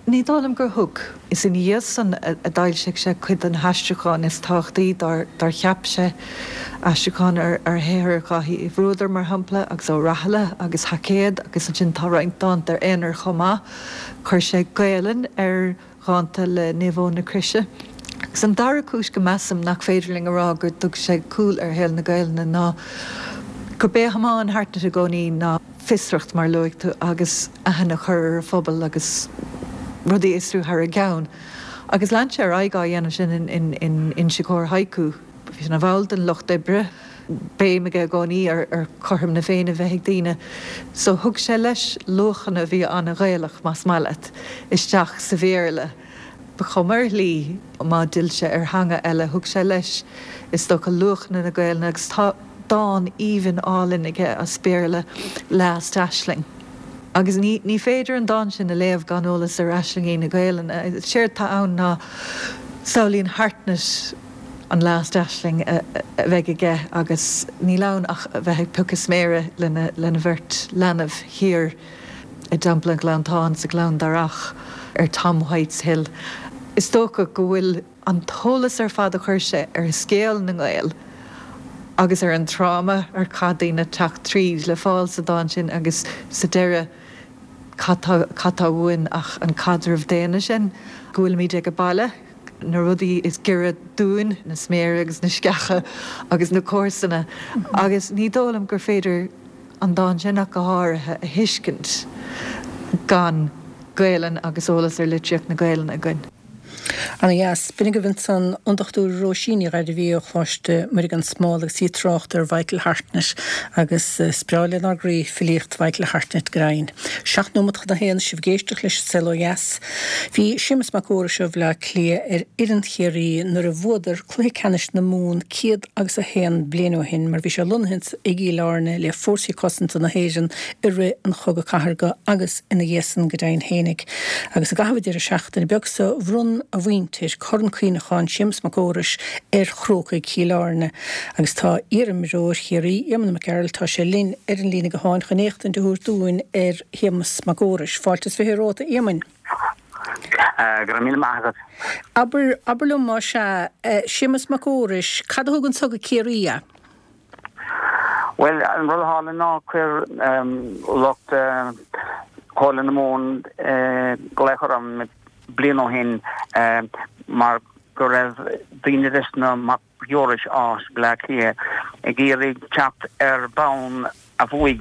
Ní dóigh liom gur thug. Is ina dhiaidh san a d'fhoilsigh sé cuid de na haistriúcháin is tábhachtaí dár cheap sé, aistriúcháin ar shaothar Dháithí Uí Bhruadair, mar shampla, agus Ó Rathaille agus Haicéad agus ansin tá roinnt dánta ar aonar chomh maith. Chuir sé Gaelainn ar dhánta le Naomh Eoin na Croise. Agus an dara cúis go measaim nach féidir linn a rá gur thug sé cúl ar shaol na Gaelainne ná gurb é a thiomáin Hartnett i gcónaí ná fiosracht, mar a luaigh tú, agus aithne a chur ar a phobal agus rudaí a fhiosrú thar a gceann. Agus lean sé ar aghaidh á dhéanamh sin in Inse Chór Haiku. Bhí sé ina bhall den Lucht Oibre, béim aige i gcónaí ar chothrom na Féinne a bheith ag daoine. So thug sé leis luachanna a bhí an-Ghaelach, más maith leat, isteach sa Bhéarla. Ba chuma ar shlí má d'fhill sé ar theanga eile, thug sé leis, is dócha, luachanna na Gaelainne agus tá dán aoibhinn álainn aige as Béarla, Last Aisling. Agus ní ní féidir an dán sin a léamh gan eolas ar aislingí na Gaelainne. Séard tá ann ná samhlaíonn Hartnett an last aisling a bheidh aige agus níl ann ach a bheith ag piocadh sméara lena lena bheirt leanbh thiar i dTeampall an Ghleanntáin sa Ghleann Darach ar Tom White's Hill. Is dócha go bhfuil an t-eolas ar fad a chuir sé ar scéal na nGael agus ar an tráma ar chaith daoine teacht tríd le fáil sa dán sin agus sa deireadh cad tá uainn ach an caidreamh daonna sin, go bhfuilimid ag baile, na rudaí is giorra dúinn, na sméara agus na sceacha agus na comharsana agus ní dóigh liom gur féidir an dán sin ach go háirithe a thuiscint gan Gaelainn agus eolas ar litríocht na Gaelainne againn. Ana dheas. B'in agaibh ansan an Dochtúir Róisín Ní Ghairbhí ó Choláiste Muire gan Smál agus í ag trácht ar Mhichael Hartnett agus is breá lenár gcroí filíocht Mhichael Hartnett go deimhin. Seacht nóimeat chun a haon, sibh ag éisteacht leis An Saol Ó Dheas. Bhí Séamus Mac Fheorais ó Bhleá Cliath ar fhoireann Chiarraí nuair a bhuadar cluiche ceannais na Mumhan céad agus a haon bliain ó shin mar bhí sé lonnaithe i gCill Airne le Fórsaí Cosanta na hÉireann i rith an Chogadh Cathartha agus ina dhiaidh san go deimhin fhéinig. Agus i gcaitheamh an deireadh seachtaine beag so bhronn a mhuintir Corn Cuimhneacháin Séamus Mac Fheorais ar Chrócaigh Chill Airne agus tá iarimreoir Chiarraí, Éamonn Mac Gearailt, tá sé linn ar an líne gutháin chun éachtaint a thabhairt dúinn ar Shéamus Mac Fheorais. Fáilte is fiche romhat, a Éamoinn. Go raibh míle maith agat. Abair, abair liom más ea, Séamus Mac Fheorais, cad a thug anso go Ciarraí é? Bhuel, an rud a tharla ná chuir lucht Chomhairle na Mumhan glaoch orm bliain ó shin mar go raibh daoine des na Mac Fheorais as Bleá Cliath ag iarraidh teacht ar bonn a bhuaigh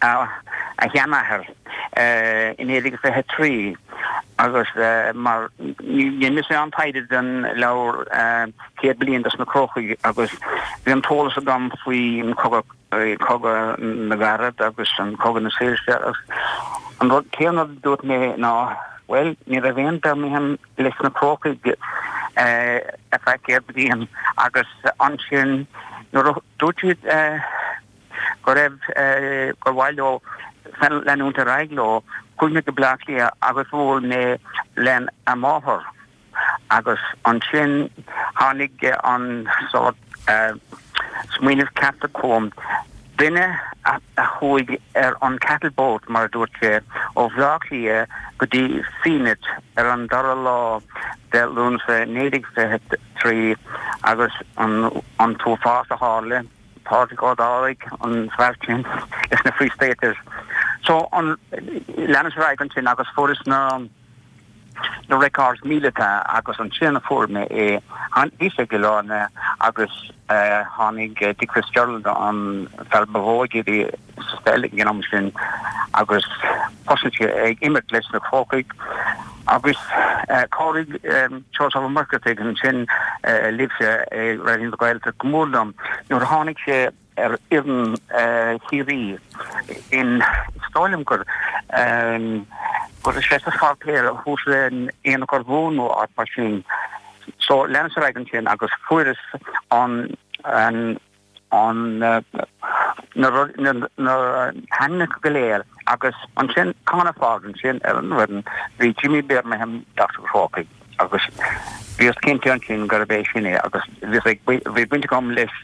a sheanathair i naoi déag fiche trí agus mar dhein mise an taighde don leabhar Céad Bliain dos na Crócaigh agus bhí an t-eolas agam faoi an cogadh Cogadh na gCarad agus an Cogadh na Saoirse agus an rud céanna a dúirt mé ná, bhuel, ní raibh aon Birmingham leis na Crócaigh ar feadh céad bliain agus ansin nuair a dúirt siad go raibh, gur mhaith leo leanúint ar aghaidh leo, chuaigh mé go Bleá Cliath agus bhuail mé lena máthair. Agus ansin tháinig an sórt smaoineamh ceart chugam, duine a chuaigh ar an cattle boat, mar a dúirt sé, ó Bhleá Cliath go dtí Fenit ar an dara lá de Lúnasa naoi déag fiche trí agus an t-uafás a tharla, Pádraig Ó Dálaigh, an fear sin leis na Free Staters. So, leanas ar aghaidh ansin agus fuaireas na. na records míleata agus ansin a fuair mé é. Bhí sé i gCill Airne agus tháinig Dick Fitzgerald, an fear ba mhó ag iarraidh sa pheil ag an am sin agus thosaigh sé ag imirt leis na Crócaigh agus chabhraigh Seosamh Ó Muircheartaigh ansin libhse i Raidió na Gaeltachta go mór liom nuair a tháinig sé ar fhoireann Chiarraí in, is dóigh liom gur go raibh sé sa pháipéar thuas in Aonach Urmhumhan nó áit mar sin. So leanas ar aghaidh ansin agus fuaireas an an an na na na hainmneacha go léir agus ansin Conor Ford ansin ar an bhfoireann bhí Jimmy Birmingham Doctor Chrócaigh. Agus bhíos cinnte ansin gurbh é sin é agus bhíos ag, bhí baint agam leis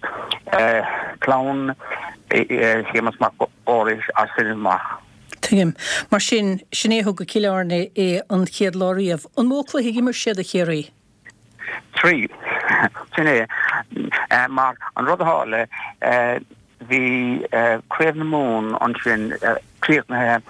clann Shéamus Mac Fheorais as sin amach. Tuigim. Mar sin, sin é a thug go Cill Airne é an chéad lá riamh. An mó cluiche a d'imir sé do Chiarraí? Trí. Sin é. Mar an rud a tharla, bhí Craobh na Mumhan ansin críochnaithe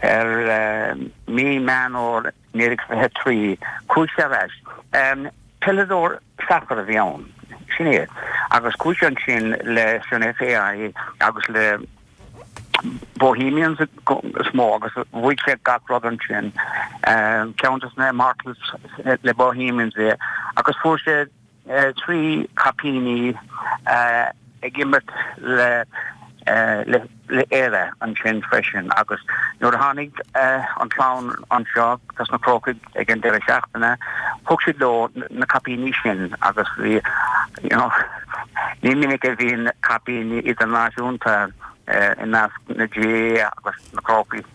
ar mí Meán Fhómhair naoi déag fiche trí. Chuaigh sé ar ais. Peileadóir sacair a bhí ann. Sin é. Agus chuaigh sé ansin leis an FAI agus le Bohemians is mó agus bhuaigh sé gach rud ansin. Ceann de na Immortals le Bohemians é agus fuair sé trí caipíní ag imirt le le Éire ansin freisin agus nuair a tháinig an clann anseo dos na Crócaigh ag an deireadh seachtaine thug siad leo na caipíní sin agus bhí you know ní minic a bhíonn caipíní idirnáisiúnta i measc na GAA agus na Crócaigh.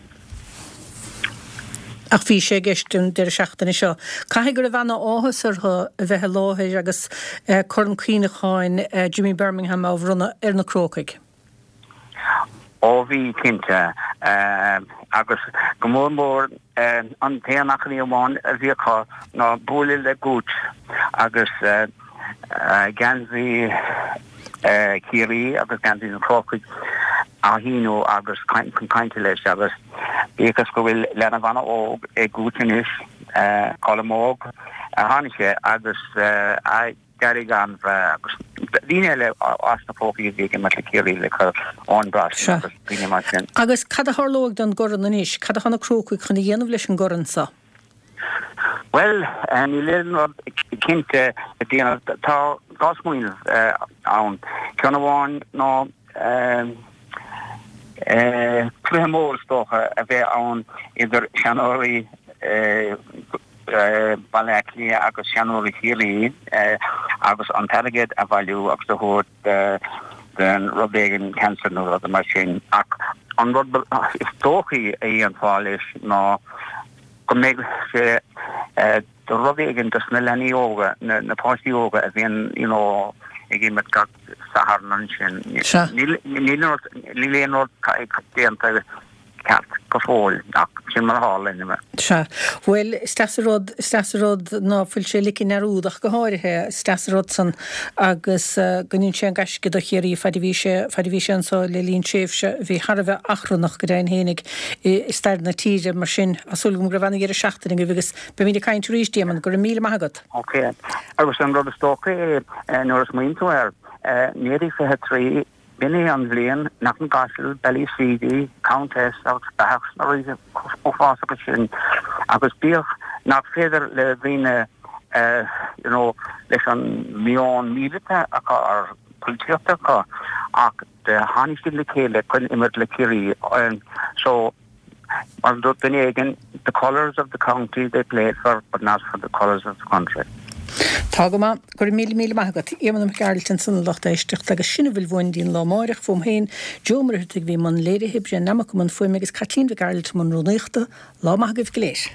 Ach bhí sé i gceist an deireadh seachtaine seo. Caithfidh go raibh ana-áthas orthu a bheith i láthair agus Corn Cuimhneacháin Jimmy Bermingham á bhronnadh ar na Crócaigh. Ó bhí, cinnte. Agus go mór mór an t-aon achainí amháin a bhí acu ná bualadh le Gooch agus geansaí Chiarraí agus geansaí na Crócaigh á shíniú agus chun cainte leis agus bíodh is go bhfuil leanbh an-óg ag Gooch anois, Colm Óg, a tháinig sé agus Gary an-bhreá agus daoine eile as na Crócaigh a bhí ag imirt le Ciarraí like Eoin Brosnan agus daoine mar sin. Agus cad a tharlóidh don gcorn anois? Cad atá na Crócaigh chun a dhéanamh leis an gcorn seo? Bhuel, níl aon rud cinnte le déanamh. Tá dhá smaoineamh ann. Ceann amháin ná cluiche mór is dócha a bheith ann idir seanóirí Bhaile Átha Cliath agus seanóirí Chiarraí agus an t-airgead a bhailiú agus a thabhairt don rud éigin, cancer nó rud mar sin. Ach an rud is dóichí a dhéanfá leis ná go mbeidh sé do rud éigin dos na leanaí óga, na páistí óga a bhíonn you know ag imirt gach Satharn ansin. Níl níl aon rud déanta ceart go fóill ach sin mar a tharla anyway. Sea. Bhuel, is deas an rud, is deas an rud ná fuil sé ligthe i ndearúd ach go háirithe, is deas an rud san agus go ndein sé an gaisce do Chiarraí faid a bhí sé, faid a bhí sé anso le linn tréimhse a bhí thar a bheith achrannach go deimhin fhéinig i stair na tíre. Mar sin, tá súil agam go raibh ana-dheireadh seachtaine agaibh agus beimid ag caint arís, Éamonn. Go raibh míle maith agat. Ok. Agus an rud is dócha é nuair a smaoiníonn tú air, naoi déag fiche trí, B'in é an bhliain nach an gCaiseal, Ballyseedy, Countess agus Beathach sna ríthe uafásacha sin agus bíodh nach féidir le daoine you know leis an meon míleata acu or polaitíochta acu ach tháinig siad le chéile chun imirt le Ciarraí so Mar a dúirt duine éigin, the colours of the county they played for but not for the colours of the country. Tá go maith. Go raibh míle míle maith agat. Éamonn Mac Gearailt ansan a lucht éisteachta agus sin a bhfuil uainn dtí'n lá amáireach. Fúm féin, Joe Ó Muircheartaigh a bhí i mbun léirithe, Brian Nammock i mbun fuaime agus Caitlín Mhic Gearailt i mbun rúnaíochta. Lá maith agaibh go léir.